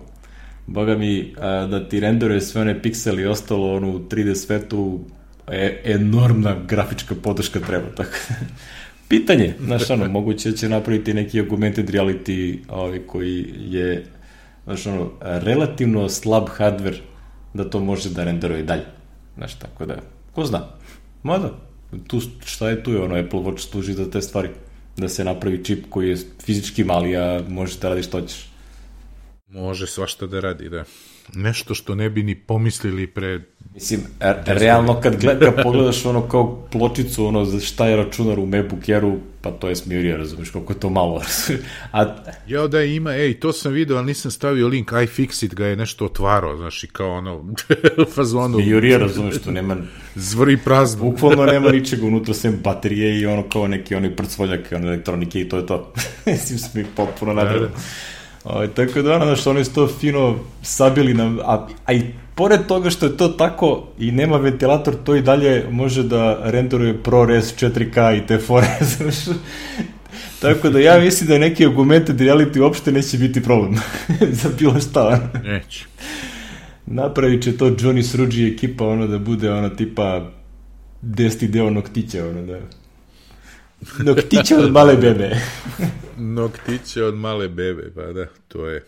boga mi, a, da ti renderuje sve one pikseli i ostalo ono u tri D svetu, E, enormna grafička podrška treba, tako. Pitanje, znaš, ono, moguće će napraviti neki augmented reality ovaj, koji je, znaš, ono, relativno slab hardware da to može da renderuje dalje. Znaš, tako da, ko zna? Mada, tu, šta je tu je, ono, Apple Watch služi za te stvari, da se napravi čip koji je fizički mali, a može da radi što hoćeš. Može svašta da radi, da. Nešto što ne bi ni pomislili pre Mislim, realno kad, gled, kad pogledaš ono kao pločicu, ono za šta je računar u MacBook Airu, pa to je smirija, razumiješ, koliko je to malo. A... Ja da ima, ej, to sam vidio, ali nisam stavio link, iFixit ga je nešto otvarao, znaš, i kao ono, fazonu... Smirija, razumiješ, to nema... Zvri prazno. Bukvalno nema ničega unutra, sem baterije i ono kao neki onaj prcvoljak, ono elektronike i to je to. Mislim, sam ih potpuno nadredo. O, tako da, ono, što oni su to fino sabili nam, a, a i pored toga što je to tako i nema ventilator, to i dalje može da renderuje ProRes četiri K i te fore, znaš. Tako da ja mislim da neki augmented reality uopšte neće biti problem za bilo šta. Neće. Napravit će to Johnny Sruđi ekipa, ono da bude ono tipa deseti deo noktića, ono da... Noktiće od male bebe. Noktiće od male bebe, pa da, to je.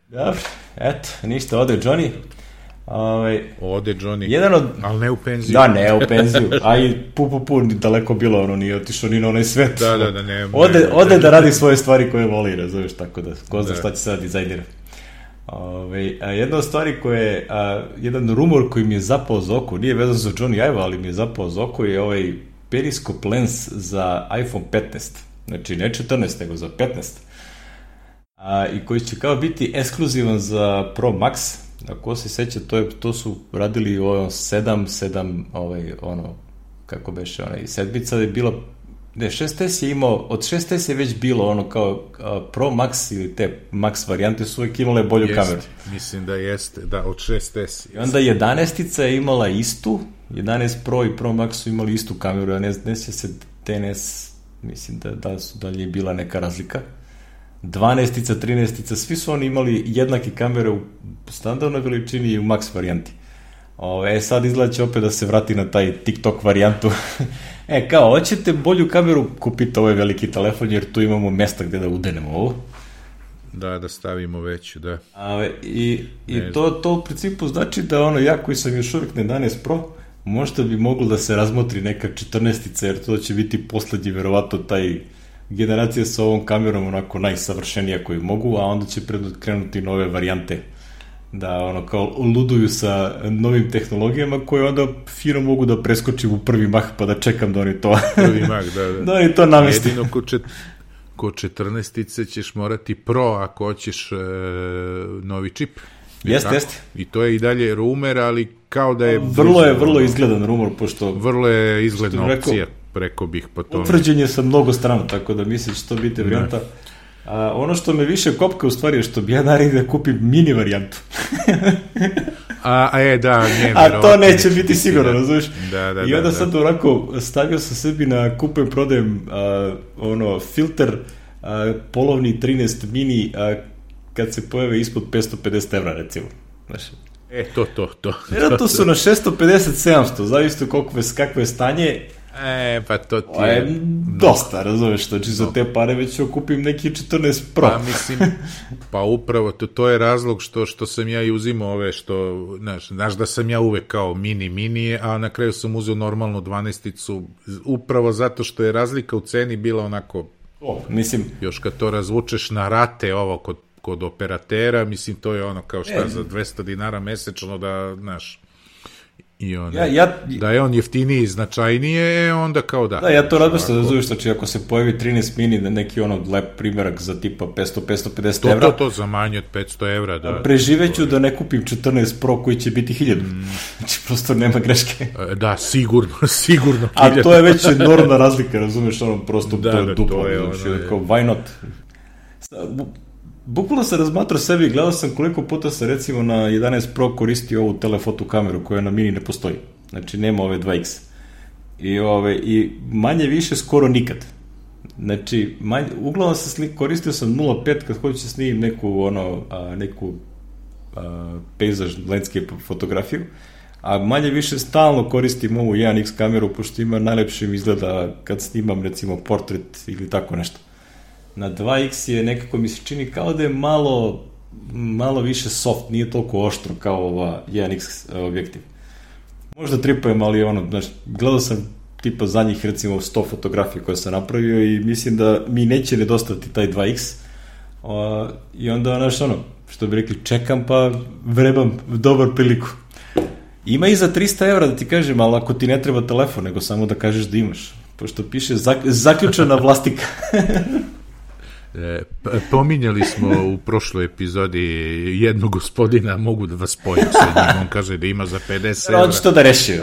Dobro, eto, ništa, ode Johnny. Ove, ode Johnny, jedan od... ali ne u penziju. Da, ne u penziju, a i pu, pu, pu, daleko bilo, ono, nije otišao ni na onaj svet. Da, da, da, ne. Ode, ne, ode da radi svoje stvari koje voli, razumiješ, tako da, ko zna da. šta će sada dizajnira. Ove, a jedna od stvari koje, a, jedan rumor koji mi je zapao za oko, nije vezan za Johnny Ive, ali mi je zapao za oko, je ovaj periskop lens za iPhone petnaest. Znači, ne četrnaest, nego za petnaest. A, i koji će kao biti ekskluzivan za Pro Max. Ako se seća, to, je, to su radili o sedam, sedam, ovaj, ono, kako beše, onaj, sedmica je bila, ne, šest S je imao, od šest S je već bilo ono kao a, Pro Max ili te Max varijante su uvijek imale bolju jest, kameru. Mislim da jeste, da, od šest S. I onda jedanaestica je imala istu, jedanaest Pro i Pro Max su imali istu kameru, a ne, ne se T N S, mislim da, da su dalje bila neka razlika. dvanaestica, trinaestica, svi su oni imali jednake kamere u standardnoj veličini i u Max varijanti. O, e, sad izgleda će opet da se vrati na taj TikTok varijantu. E, kao, hoćete bolju kameru, kupite ovaj veliki telefon, jer tu imamo mesta gde da udenemo ovo. Da, da stavimo veću, da. A, I i to, to u principu znači da ono, ja koji sam još uvijek na jedanaest Pro, možda bi moglo da se razmotri neka četrnaestica, jer to će biti poslednji, verovatno, taj generacija sa ovom kamerom onako najsavršenija koju mogu, a onda će krenuti nove varijante da ono kao luduju sa novim tehnologijama koje onda fino mogu da preskočim u prvi mah pa da čekam da oni to prvi mah, da, da. da oni to namesti. Jedino ko, čet, ko četrnaestice ćeš morati Pro ako hoćeš e, novi čip. Jeste, jeste. I to je i dalje rumor, ali kao da je... Vrlo je, vrlo izgledan rumor, pošto... Vrlo je izgledna opcija, preko bih po tome. Utvrđen je sa mnogo strana, tako da mislim će to biti varijanta. A, ono što me više kopka u stvari je što bi ja naredio da kupim mini varijantu. a, a je, da, ne, a to neće biti sigurno, razumiješ? Da, da, I onda da, sad da. onako stavio sam sebi na kupujem, prodajem a, ono, filter a, polovni trinaest mini a, kad se pojave ispod petsto pedeset evra, recimo. Znaš, e, to, to, to. Jer to su na šesto pedeset sedamsto, zavisno koliko je, kakvo je stanje. E, pa to ti je... je dosta, razumeš, znači za te pare već kupim neki četrnaest Pro. Pa mislim, pa upravo, to, to je razlog što, što sam ja i uzimao ove, što, znaš, znaš da sam ja uvek kao mini, mini, a na kraju sam uzeo normalnu dvanaesticu, upravo zato što je razlika u ceni bila onako, o, mislim, još kad to razvučeš na rate ovo kod, kod operatera, mislim, to je ono kao šta, e, za dvesta dinara mesečno da, znaš, i on, ja, ja, da je on jeftiniji, značajnije, onda kao da. Da, ja to razmišljam da zoveš, znači ako se pojavi trinaest mini, neki ono lep primjerak za tipa petsto do petsto pedeset evra. To, to, to, za manje od petsto evra, da. Preživeću da ne kupim četrnaest Pro koji će biti hiljadu. Mm. Znači, prosto nema greške. Da, sigurno, sigurno. A to je već enormna razlika, razumeš, ono, prosto da, to je da, duplo. To je znači, ono, kao, why not? Bukvalno sam razmatrao sebi i gledao sam koliko puta se recimo na jedanaest Pro koristi ovu telefoto kameru koja na mini ne postoji. Znači nema ove dva iks. I, ove, i manje više skoro nikad. Znači, manje, uglavnom sam slik, koristio sam nula zarez pet kad hoću se snimim neku, ono, a, neku a, pejzaž, landscape fotografiju, a manje više stalno koristim ovu jedan iks kameru, pošto ima najlepše mi izgleda kad snimam recimo portret ili tako nešto. Na dva iks je nekako mi se čini kao da je malo, malo više soft, nije toliko oštro kao ova jedan iks objektiv. Možda tripujem, ali ono, znaš, gledao sam tipa za njih recimo sto fotografija koje sam napravio i mislim da mi neće nedostati taj dva iks. O, I onda, znaš, ono, što bi rekli, čekam pa vrebam dobar priliku. Ima i za trista evra da ti kažem, ali ako ti ne treba telefon, nego samo da kažeš da imaš. Pošto piše zak, zaključena vlastika. E, pominjali smo u prošloj epizodi jednog gospodina, mogu da vas spojim sa njim, on kaže da ima za pedeset evra. On će to da reši.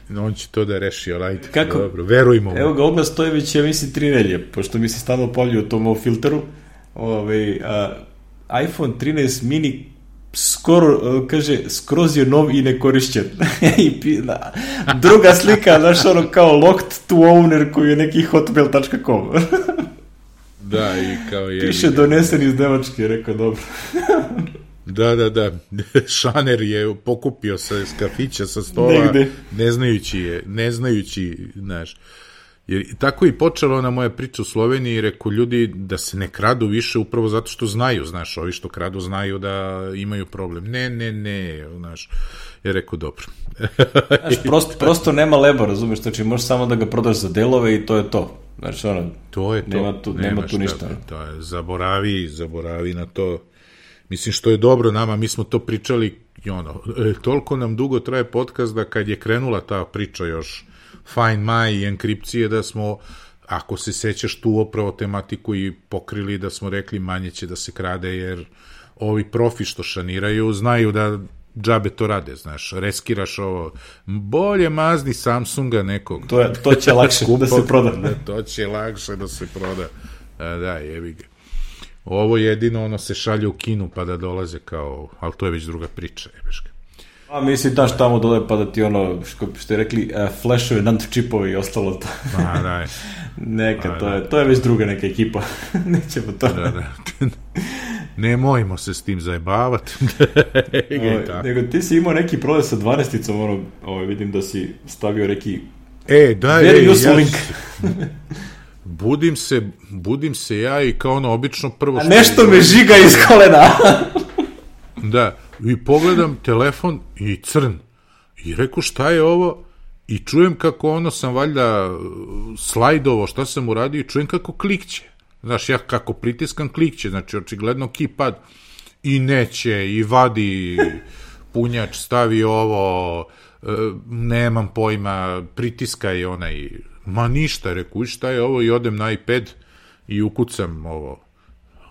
Da. On će to da reši, alajte. Kako? Dobro, verujmo mu. Evo ga, oglas stoji već, ja mislim, tri nelje, pošto mi se stalno pavlju o tom o filteru. Ove, a, iPhone trinaest mini skoro, kaže, skroz je nov i nekorišćen. I da, druga slika, znaš, ono kao locked to owner koji je neki hotmail tačka com. Da, i kao je... Piše donesen iz Nemačke, rekao, dobro. Da, da, da. Šaner je pokupio sa kafića, sa stola, negde. ne znajući je, ne znajući, znaš. Jer tako i počela ona moja priča u Sloveniji i rekao ljudi da se ne kradu više upravo zato što znaju, znaš, ovi što kradu znaju da imaju problem. Ne, ne, ne, znaš. Ja rekao, dobro. Znaš, prosto, prosto nema leba, razumiješ, znači možeš samo da ga prodaš za delove i to je to. Znači, ono, to je to. Nema tu, nema nema tu ništa. To je, zaboravi, zaboravi na to. Mislim, što je dobro nama, mi smo to pričali, i ono, e, toliko nam dugo traje podcast da kad je krenula ta priča još Find My i enkripcije, da smo, ako se sećaš tu opravo tematiku i pokrili, da smo rekli manje će da se krade, jer ovi profi što šaniraju znaju da džabe to rade, znaš, reskiraš ovo, bolje mazni Samsunga nekog. To, je, to će lakše da se proda. Da, to će lakše da se proda. A, da, jebi ga. Ovo jedino, ono, se šalje u Kinu pa da dolaze kao, ali to je već druga priča, jebeška. A mislim, daš tamo dole pa da ti ono, što, što je rekli, uh, flashove, nant čipovi i ostalo to. A, daj. Neka, A, to, je, to je već druga neka ekipa. Nećemo to. Da, da. Nemojmo se s tim zajebavati. o, nego ti si imao neki problem sa dvanaesticom, ono, ovo, vidim da si stavio neki e, da, very e, useful ja link. budim se, budim se ja i kao ono obično prvo... A nešto me žiga iz kolena. Da, i pogledam telefon i crn. I reku šta je ovo? I čujem kako ono sam valjda slajdovo, šta sam uradio i čujem kako klikće. Znaš, ja kako pritiskam klikće, znači očigledno keypad i neće, i vadi punjač, stavi ovo, nemam pojma, pritiskaj onaj, ma ništa, reku, šta je ovo, i odem na iPad i ukucam ovo.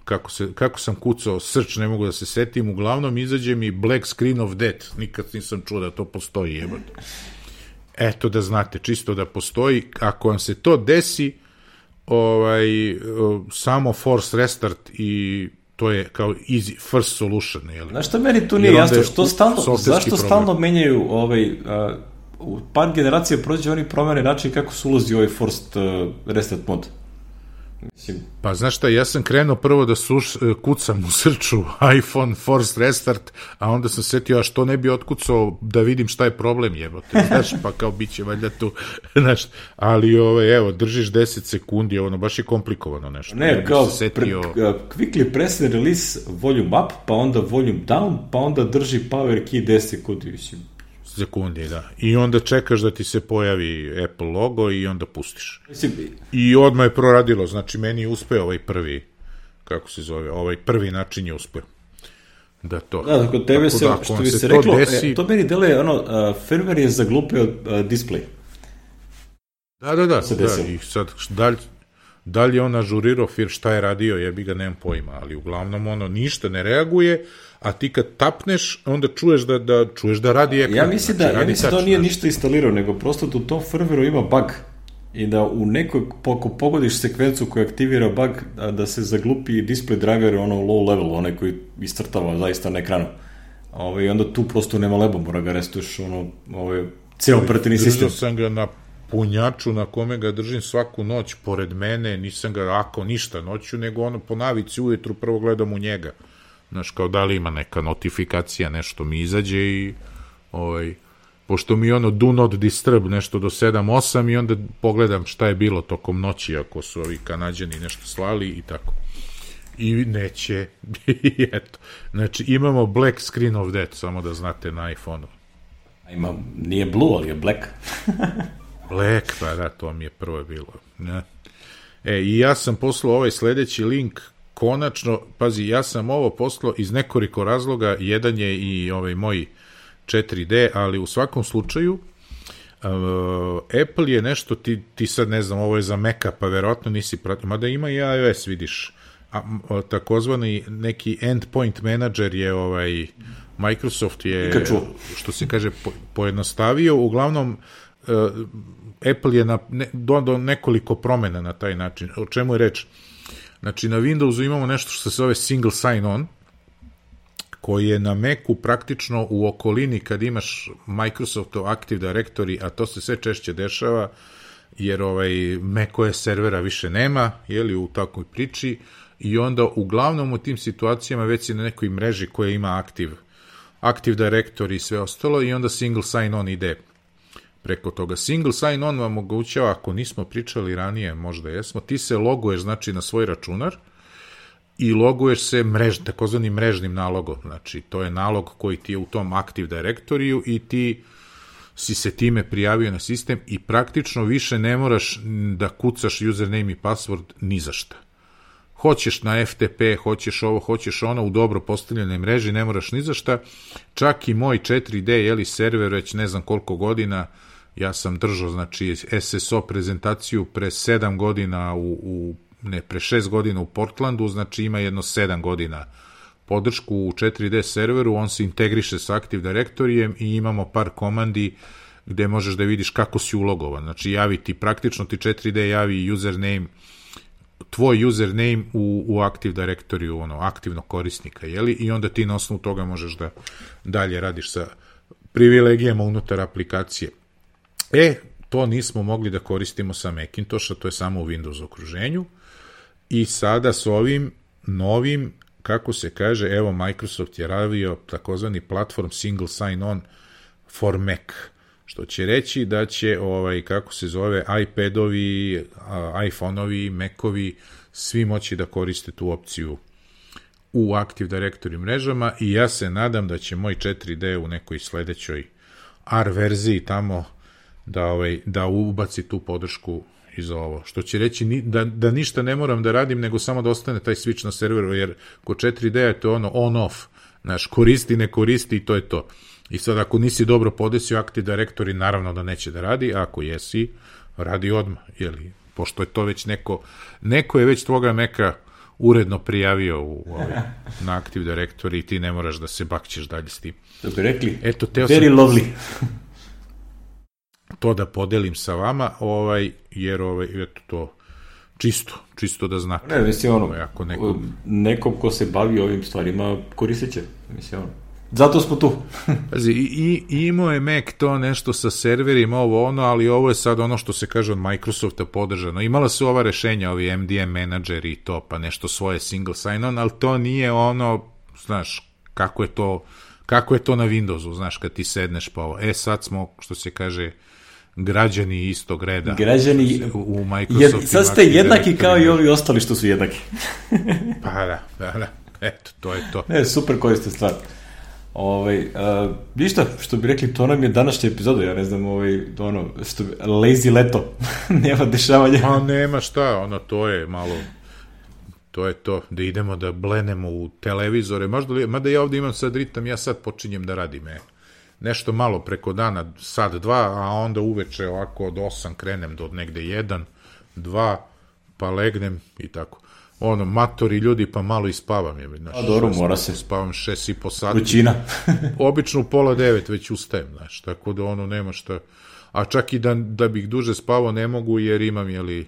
Kako, se, kako sam kucao search, ne mogu da se setim, uglavnom izađe mi black screen of death, nikad nisam čuo da to postoji, jebate. Eto da znate, čisto da postoji, ako vam se to desi, ovaj, samo force restart i to je kao easy first solution. Jel? Znaš što meni tu nije jasno, što stalno, zašto problem. Stalno menjaju ovaj, uh, u par generacija prođe oni promene način kako se ulazi ovaj forced uh, restart mod. Mislim. Pa znaš šta, ja sam krenuo prvo da suš, kucam u srču iPhone forced restart, a onda sam setio, a što ne bi otkucao da vidim šta je problem, jebote, znaš, pa kao bit će valjda tu, znaš, ali ove, evo, držiš deset sekundi, ono, baš je komplikovano nešto. Ne, ja kao, setio... pre, quickly press and release volume up, pa onda volume down, pa onda drži power key deset sekundi, mislim. Sekundi, da. I onda čekaš da ti se pojavi Apple logo i onda pustiš. I odmah je proradilo, znači meni je uspeo ovaj prvi, kako se zove, ovaj prvi način je uspeo. Da to. Da, kod tebe se, da, što bi se, se reklo, to, desi... e, to meni deluje, ono, uh, firmware je zaglupio uh, display. Da, da, da, da, i sad, dalj, dalje je on ažurirao fir šta je radio, jebi ga, nemam pojma, ali uglavnom ono ništa ne reaguje, a ti kad tapneš, onda čuješ da, da, čuješ da radi ekran. Ja mislim znači, da, ja mislim da on nije ništa instalirao, nego prosto da u tom firmwareu ima bug i da u nekoj, ako pogodiš sekvencu koja aktivira bug, da, da se zaglupi display driver ono low level, onaj koji istrtava zaista na ekranu. Ove, I onda tu prosto nema leba, mora ga restuješ ono, ove, cijel operativni sistem. Držao sam ga na punjaču na kome ga držim svaku noć pored mene, nisam ga ako ništa noću, nego ono po navici ujutru prvo gledam u njega. Znaš, kao da li ima neka notifikacija, nešto mi izađe i ovaj, pošto mi ono do not disturb nešto do sedam osam i onda pogledam šta je bilo tokom noći ako su ovi Kanađani nešto slali i tako. I neće. I eto. Znači, imamo black screen of death, samo da znate na iPhone-u. Ima, nije blue, ali je black. Black, pa da, to mi je prvo bilo. Ne. E, i ja sam poslao ovaj sledeći link. Konačno, pazi, ja sam ovo poslao iz nekoliko razloga, jedan je i ovaj moj četiri D, ali u svakom slučaju uh, Apple je nešto, ti, ti sad ne znam, ovo je za Maca, pa verovatno nisi pratio, mada ima i iOS, vidiš, a, a, takozvani neki endpoint manager je ovaj, Microsoft je, što se kaže, po, pojednostavio, uglavnom uh, Apple je na, ne, do, do nekoliko promena na taj način. O čemu je reč? Znači, na Windowsu imamo nešto što se zove single sign-on, koji je na Macu praktično u okolini kad imaš Microsoftov Active Directory, a to se sve češće dešava, jer ovaj macOS servera više nema, jeli, u takvoj priči, i onda uglavnom u tim situacijama već si na nekoj mreži koja ima Active, Active Directory i sve ostalo, i onda single sign-on ide preko toga. Single sign-on vam omogućava, ako nismo pričali ranije, možda jesmo, ti se loguješ, znači, na svoj računar i loguješ se mrež, takozvani mrežnim nalogom. Znači, to je nalog koji ti je u tom Active Directoriju i ti si se time prijavio na sistem i praktično više ne moraš da kucaš username i password ni za šta. Hoćeš na F T P, hoćeš ovo, hoćeš ono, u dobro postavljenoj mreži, ne moraš ni za šta. Čak i moj četiri D, jeli, server, već ne znam koliko godina, ja sam držao, znači, S S O prezentaciju pre sedam godina u, u ne, pre šest godina u Portlandu, znači ima jedno sedam godina podršku u četiri D serveru, on se integriše sa Active Directorijem i imamo par komandi gde možeš da vidiš kako si ulogovan. Znači, javi ti, praktično ti četiri D javi username, tvoj username u, u Active Directoriju, ono, aktivnog korisnika, jeli? I onda ti na osnovu toga možeš da dalje radiš sa privilegijama unutar aplikacije. E, to nismo mogli da koristimo sa Macintosha, to je samo u Windows okruženju, i sada s ovim novim, kako se kaže, evo, Microsoft je radio takozvani platform single sign-on for Mac, što će reći da će, ovaj, kako se zove, iPadovi, iPhoneovi, Macovi, svi moći da koriste tu opciju u Active Directory mrežama, i ja se nadam da će moj četiri D u nekoj sledećoj R verziji tamo da, ovaj, da ubaci tu podršku i za ovo. Što će reći ni, da, da ništa ne moram da radim, nego samo da ostane taj switch na serveru, jer kod četiri D je to ono on-off, znaš, koristi, ne koristi i to je to. I sad ako nisi dobro podesio Active Directory, naravno da neće da radi, a ako jesi, radi odmah, jeli, pošto je to već neko, neko je već tvoga Maca uredno prijavio u, ovaj, na Active Directory i ti ne moraš da se bakćeš dalje s tim. To bi rekli, eto, teo very sam lovely. To da podelim sa vama, ovaj, jer ovaj, eto to, čisto, čisto da znate. Ne, mislim, ono, ako neko... nekom ko se bavi ovim stvarima koristit će, mislim, ono. Zato smo tu. Pazi, i, i imao je Mac to nešto sa serverima, ovo ono, ali ovo je sad ono što se kaže od Microsofta podržano. Imala su ova rešenja, ovi M D M menadžeri i to, pa nešto svoje single sign-on, ali to nije ono, znaš, kako je to, kako je to na Windowsu, znaš, kad ti sedneš pa ovo. E, sad smo, što se kaže, građani istog reda. Građani, u Microsoftu. Sad ste jednaki kao i ovi ostali što su jednaki. Pa da, pa da, eto, to je to. Ne, super korisna stvar. Ovaj, uh, ništa, što bi rekli, to nam je današnja epizoda, ja ne znam, ovaj, ono, što bi, lazy leto, nema dešavanja. Pa nema šta, ono, to je malo, to je to, da idemo da blenemo u televizore, možda li, mada ja ovdje imam sad ritam, ja sad počinjem da radim, e, nešto malo preko dana, sad dva, a onda uveče ovako od osam krenem do negde jedan, dva, pa legnem i tako. Ono, matori ljudi, pa malo ispavam je. Znaš, a dobro, mora se. Spavam šest i po sati. Vrućina. Obično u pola devet već ustajem, znaš, tako da ono nema šta. A čak i da, da bih duže spavao ne mogu, jer imam, jeli,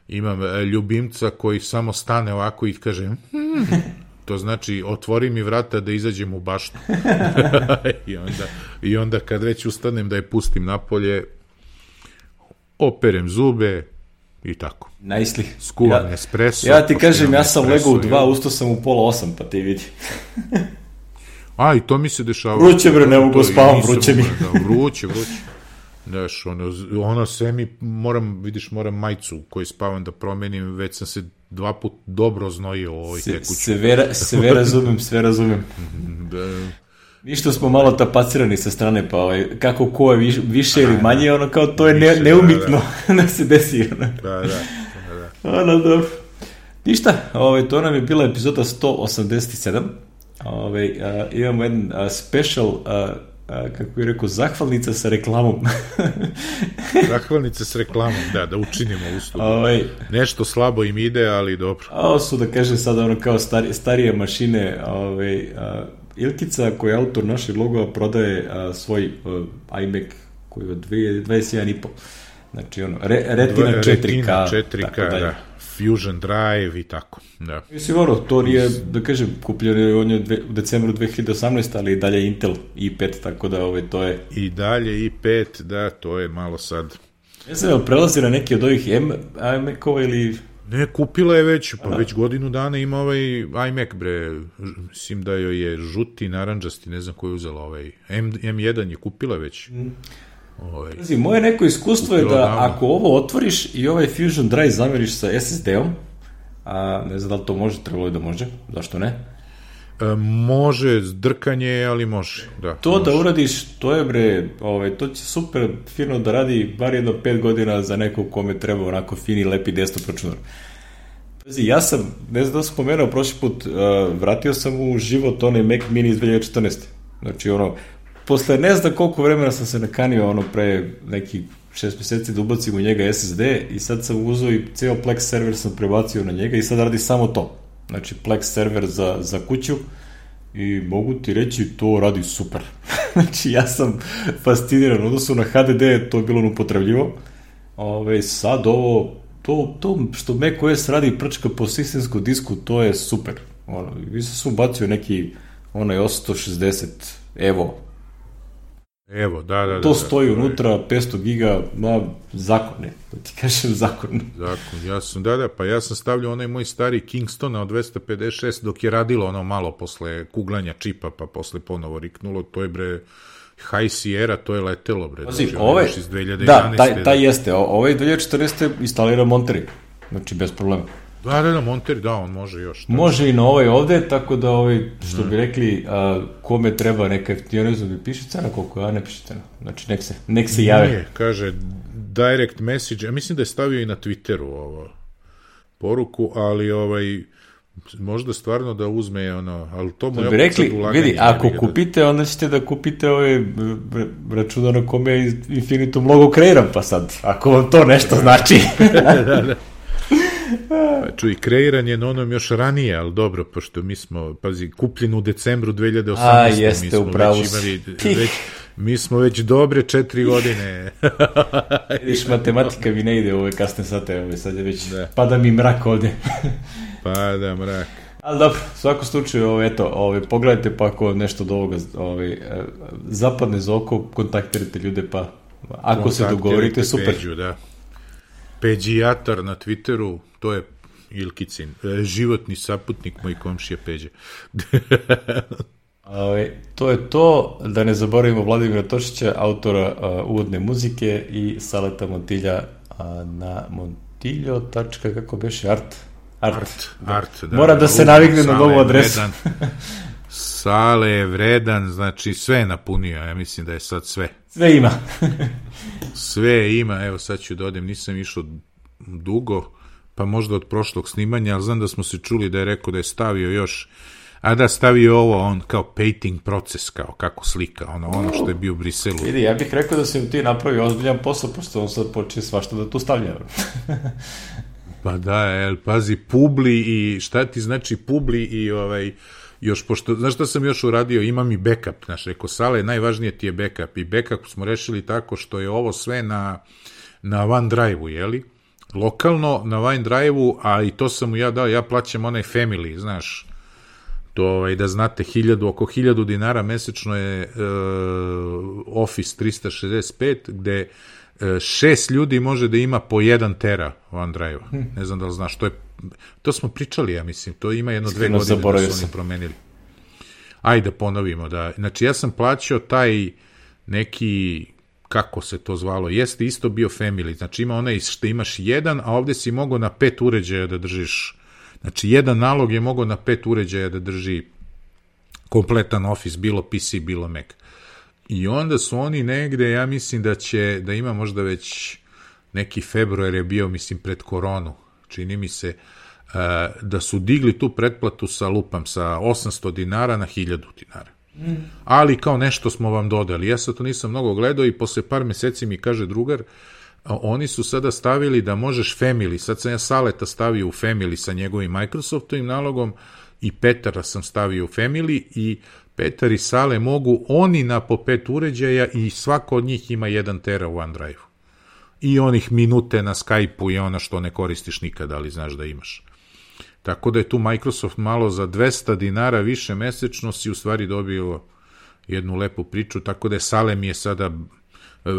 imam ljubimca koji samo stane ovako i kaže, hmm, to znači, otvori mi vrata da izađem u baštu. I, onda, I onda kad već ustanem da je pustim napolje, operem zube, i tako. Najsli. Skuvan ja, espresso. Ja ti kažem, ja sam legao u dva, ustao sam u pola osam, pa ti vidi. A, i to mi se dešava. Vruće, bre, ne mogu spavam, vruće mi. Da, vruće, vruće. Znaš, ono, ono sve mi, moram, vidiš, moram majicu koju spavam da promenim, već sam se dva put dobro znojio u ovoj se, tekuću. Sve, sve razumem, sve razumem. Da. Ništa smo malo tapacirani sa strane, pa ovaj, kako ko je viš, više ili manje, ono kao to je ne, neumitno da, da. da se desi. Ono. Da, da. da, da. Ono, dobro. Ništa, ovaj, to nam je bila epizoda sto osamdeset sedam. Ovaj, uh, imamo jedan uh, special uh, a, kako bih rekao, zahvalnica sa reklamom. Zahvalnica s reklamom, da, da učinimo uslugu. Ovaj, Nešto slabo im ide, ali dobro. a ovo su, da kažem sada, ono kao stari, starije mašine. Ovaj, a, Ilkica, koji je autor našeg logova, prodaje a, svoj a, iMac koji je od dvadeset jedan i po. Znači, ono, re, Retina četiri K. Retina četiri K, da. Fusion Drive i tako, da. Mislim, ono, to nije, da kažem, kupljeno on je u decembru dve hiljade osamnaeste. ali i dalje Intel i pet, tako da ovaj, to je... I dalje i pet, da, to je malo sad... Ne znam, ali prelazi na neki od ovih iMac-ova ili... Ne, kupila je već, pa Aha. već godinu dana ima ovaj iMac, bre, mislim da joj je žuti, naranđasti, ne znam ko je uzela ovaj, M jedan je kupila već. Mm. Ovaj. Znači, moje neko iskustvo je da davno. Ako ovo otvoriš i ovaj Fusion Drive zameriš sa S S D-om, a ne znam da li to može, trebalo je da može, zašto ne? E, može, drkanje, ali može. Da, to može. Da uradiš, to je bre, ovaj, to će super fino da radi bar jedno pet godina za nekog kome treba onako fini, lepi desktop računar. Ja sam, ne znam da sam spomenuo prošli put, uh, vratio sam u život onaj Mac Mini iz dve hiljade četrnaeste. Znači ono, posle ne znam koliko vremena sam se nakanio ono pre neki šest meseci da ubacim u njega S S D i sad sam uzeo i ceo Plex server sam prebacio na njega i sad radi samo to. Znači Plex server za, za kuću i mogu ti reći to radi super. Znači ja sam fasciniran, odnosno na H D D to je bilo upotrebljivo. Ove, sad ovo, to, to što macOS radi prčka po sistemskom disku, to je super. Ono, vi sam ubacio neki onaj osamsto šezdeset Evo. Evo, da, da, da. To stoji da, unutra, petsto giga, ma, zakon je, da ti kažem zakon. Zakon, ja sam, da, da, pa ja sam stavljao onaj moj stari Kingstona od dvesta pedeset šest dok je radilo ono malo posle kuglanja čipa, pa posle ponovo riknulo, to je bre High Sierra, to je letelo bre. Pazi, znači, ovaj, iz dve hiljade jedanaeste. Da, taj, taj jeste, ovaj dve hiljade četrnaeste instalira Monterey, znači bez problema. Da, da, da, Monterey, da, on može još. Da. Može i na ovaj ovde, tako da ovaj, što bi rekli, a, kome treba neka, ja ne znam da piše cena koliko, ja ne piše cena. Znači, nek se, nek se jave. Nije, kaže, direct message, ja mislim da je stavio i na Twitteru ovo poruku, ali ovaj, možda stvarno da uzme ono, ali to mu ja bi rekli, vidi, ako kupite, onda ćete da kupite ove računa na kome je Infinitum logo kreiran, pa sad, ako vam to nešto znači. da, da, da. Pa čuj, kreiran je na onom još ranije, ali dobro, pošto mi smo, pazi, kupljen u decembru dve hiljade osamnaeste. A, jeste, upravo si. Već, mi smo već dobre četiri godine. Vidiš, matematika mi ne ide u ove kasne sate, ove, sad je već, da. Pada mi mrak ovde. Pada mrak. Ali dobro, u svakom slučaju, ove, eto, ove, pogledajte pa ako nešto od ovoga ove, zapadne za oko, kontaktirajte ljude, pa ako se dogovorite, super. Peđu, da. Peđijatar na Twitteru, to je Ilkicin, životni saputnik moj komšija Peđe. Ove, to je to, da ne zaboravimo Vladimira Tošića, autora uh, uvodne muzike i Saleta Montilja uh, na montiljo. Kako beše, art? Art, art, art da. Moram da se navikne na novu adresu. Sale je vredan, znači sve je napunio, ja mislim da je sad sve. Sve ima. Sve ima, evo sad ću da odem, nisam išao dugo, pa možda od prošlog snimanja, ali znam da smo se čuli da je rekao da je stavio još, a da stavio ovo, on kao painting proces, kao kako slika, ono, ono što je bio u Briselu. Vidi, ja bih rekao da se ti napravi ozbiljan posao, pošto on sad počne svašta da tu stavlja. Pa da, el, pazi, publi i šta ti znači publi i ovaj... Još pošto, znaš šta sam još uradio, imam i backup, znaš, rekao, Sale, najvažnije ti je backup i backup smo rešili tako što je ovo sve na, na OneDrive-u, jeli, lokalno na OneDrive-u, a i to sam mu ja dao, ja plaćam onaj family, znaš, to ovaj, da znate, hiljadu, oko hiljadu dinara mesečno je uh, Office trista šezdeset pet, gde uh, šest ljudi može da ima po jedan tera OneDrive-a, hmm. ne znam da li znaš, to je to smo pričali, ja mislim, to ima jedno dve godine da su oni promenili. Ajde ponovimo, da, znači ja sam plaćao taj neki, kako se to zvalo, jeste isto bio family, znači ima onaj što imaš jedan, a ovde si mogao na pet uređaja da držiš, znači jedan nalog je mogao na pet uređaja da drži kompletan Office, bilo P C, bilo Mac. I onda su oni negde, ja mislim da će, da ima možda već neki februar je bio, mislim, pred koronu, čini mi se, uh, da su digli tu pretplatu sa lupam, sa osamsto dinara na hiljadu dinara. Ali kao nešto smo vam dodali. Ja sad to nisam mnogo gledao i posle par meseci mi kaže drugar, oni su sada stavili da možeš Family, sad sam ja Saleta stavio u Family sa njegovim Microsoftovim nalogom i Petara sam stavio u Family i Petar i Sale mogu oni na po pet uređaja i svako od njih ima jedan tera u OneDrive-u. I onih minute na Skype-u i ona što ne koristiš nikada, ali znaš da imaš. Tako da je tu Microsoft malo za dvesta dinara više mesečno si u stvari dobio jednu lepu priču, tako da je Sale mi je sada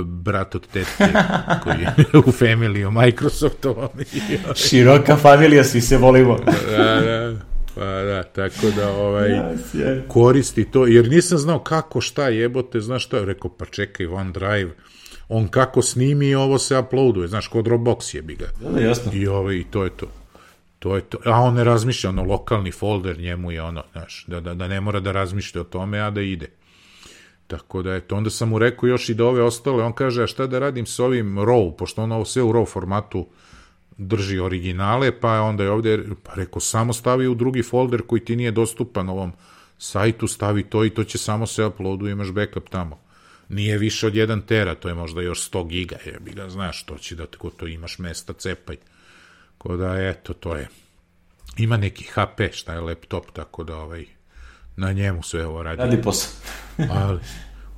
brat od tetke koji je u Family-u Microsoftovom. Široka familija, svi se volimo. Da, da. Pa da, tako da ovaj, koristi to, jer nisam znao kako, šta jebote, znaš šta, rekao, pa čekaj, OneDrive, on kako snimi, ovo se uploaduje, znaš, kod Dropbox jebi ga. Da, jasno. I, ovaj, i to je to. To je to. A on ne razmišlja, ono, lokalni folder, njemu je ono, znaš, da, da, da ne mora da razmišlja o tome, a da ide. Tako da, eto, onda sam mu rekao još i da ove ostale, on kaže, a šta da radim s ovim RAW, pošto on ovo sve u RAW formatu drži originale, pa onda je ovdje, pa rekao, samo stavi u drugi folder koji ti nije dostupan ovom sajtu, stavi to i to će samo se uploadu, imaš backup tamo. Nije više od jedan tera, to je možda još sto giga, jebi ga, znaš, to će da tako to imaš mesta, cepaj. Ko da, eto, to je. Ima neki H P, šta je laptop, tako da ovaj, na njemu sve ovo radi. Radi posao. Ali,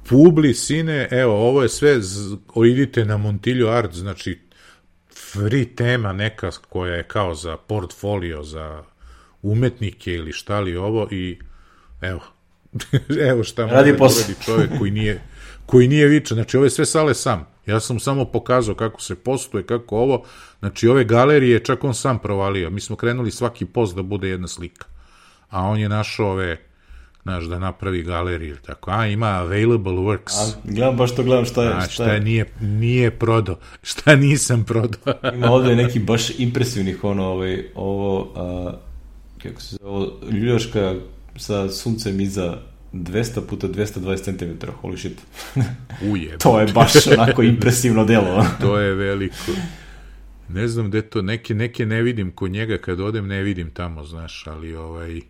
publi, sine, evo, ovo je sve, z... idite na Montillo Art, znači, free tema neka koja je kao za portfolio, za umetnike ili šta li ovo i evo, evo šta može da uradi čovjek koji nije, koji nije vičan. Znači, ovo je sve Sale sam. Ja sam samo pokazao kako se postuje, kako ovo. Znači, ove galerije čak on sam provalio. Mi smo krenuli svaki post da bude jedna slika. A on je našao ove, znaš, da napravi galeriju. Tako, a, ima available works. A, gledam baš to, gledam šta je. A, šta, šta je, nije, nije prodao. Šta nisam prodao. Ima ovdje neki baš impresivnih, ono, ovaj, ovo, a, kako se zove, ovo, ljuljaška sa suncem iza dvesta puta dvesta dvadeset centimetara, holy shit. Uje. To je baš onako impresivno delo. To je veliko. Ne znam gde to, neke, neke ne vidim kod njega, kad odem ne vidim tamo, znaš, ali ovaj,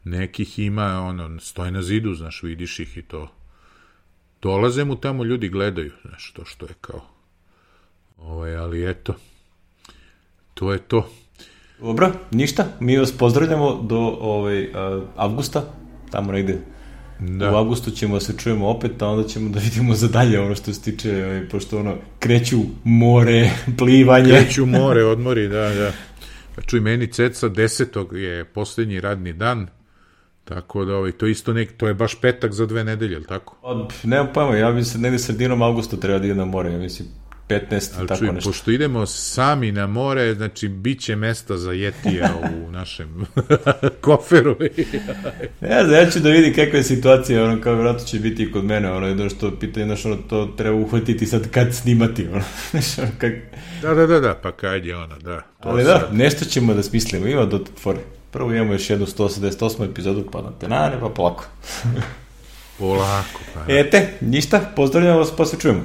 nekih ima, ono, stoji na zidu, znaš, vidiš ih i to. Dolaze mu tamo, ljudi gledaju, znaš, to što je kao. Ovaj, ali eto, to je to. Dobro, ništa, mi vas pozdravljamo do ovaj, avgusta, tamo negde. Da. U avgustu ćemo se čujemo opet, a onda ćemo da vidimo za dalje ono što se tiče, ovaj, pošto ono, kreću more, plivanje. Kreću more, odmori, da, da. Pa čuj, meni ceca desetog je posljednji radni dan, tako da ovaj, to isto nek, to je baš petak za dve nedelje, ili tako? Pa, nemam pojma, ja mislim negde sredinom avgusta treba da ide na more, ja mislim petnaest, ali tako čuj, nešto. Pošto idemo sami na more, znači bit će mesta za jetija u našem koferu. Ne znam, ja ću da vidim kakva je situacija, ono, kao vratno će biti kod mene, ono, jedno što pitanje, znaš, ono, to treba uhvatiti sad kad snimati, ono, znaš, ono, kak... Da, da, da, da, pa kad je ono, da. To ali sad... da, nešto ćemo da smislimo, ima do tvore. Prvo imamo još jednu sto osamdeset osmu epizodu, pa na tenane, pa polako. Polako, pa. Ete, ništa, pozdravljamo vas, pa se čujemo.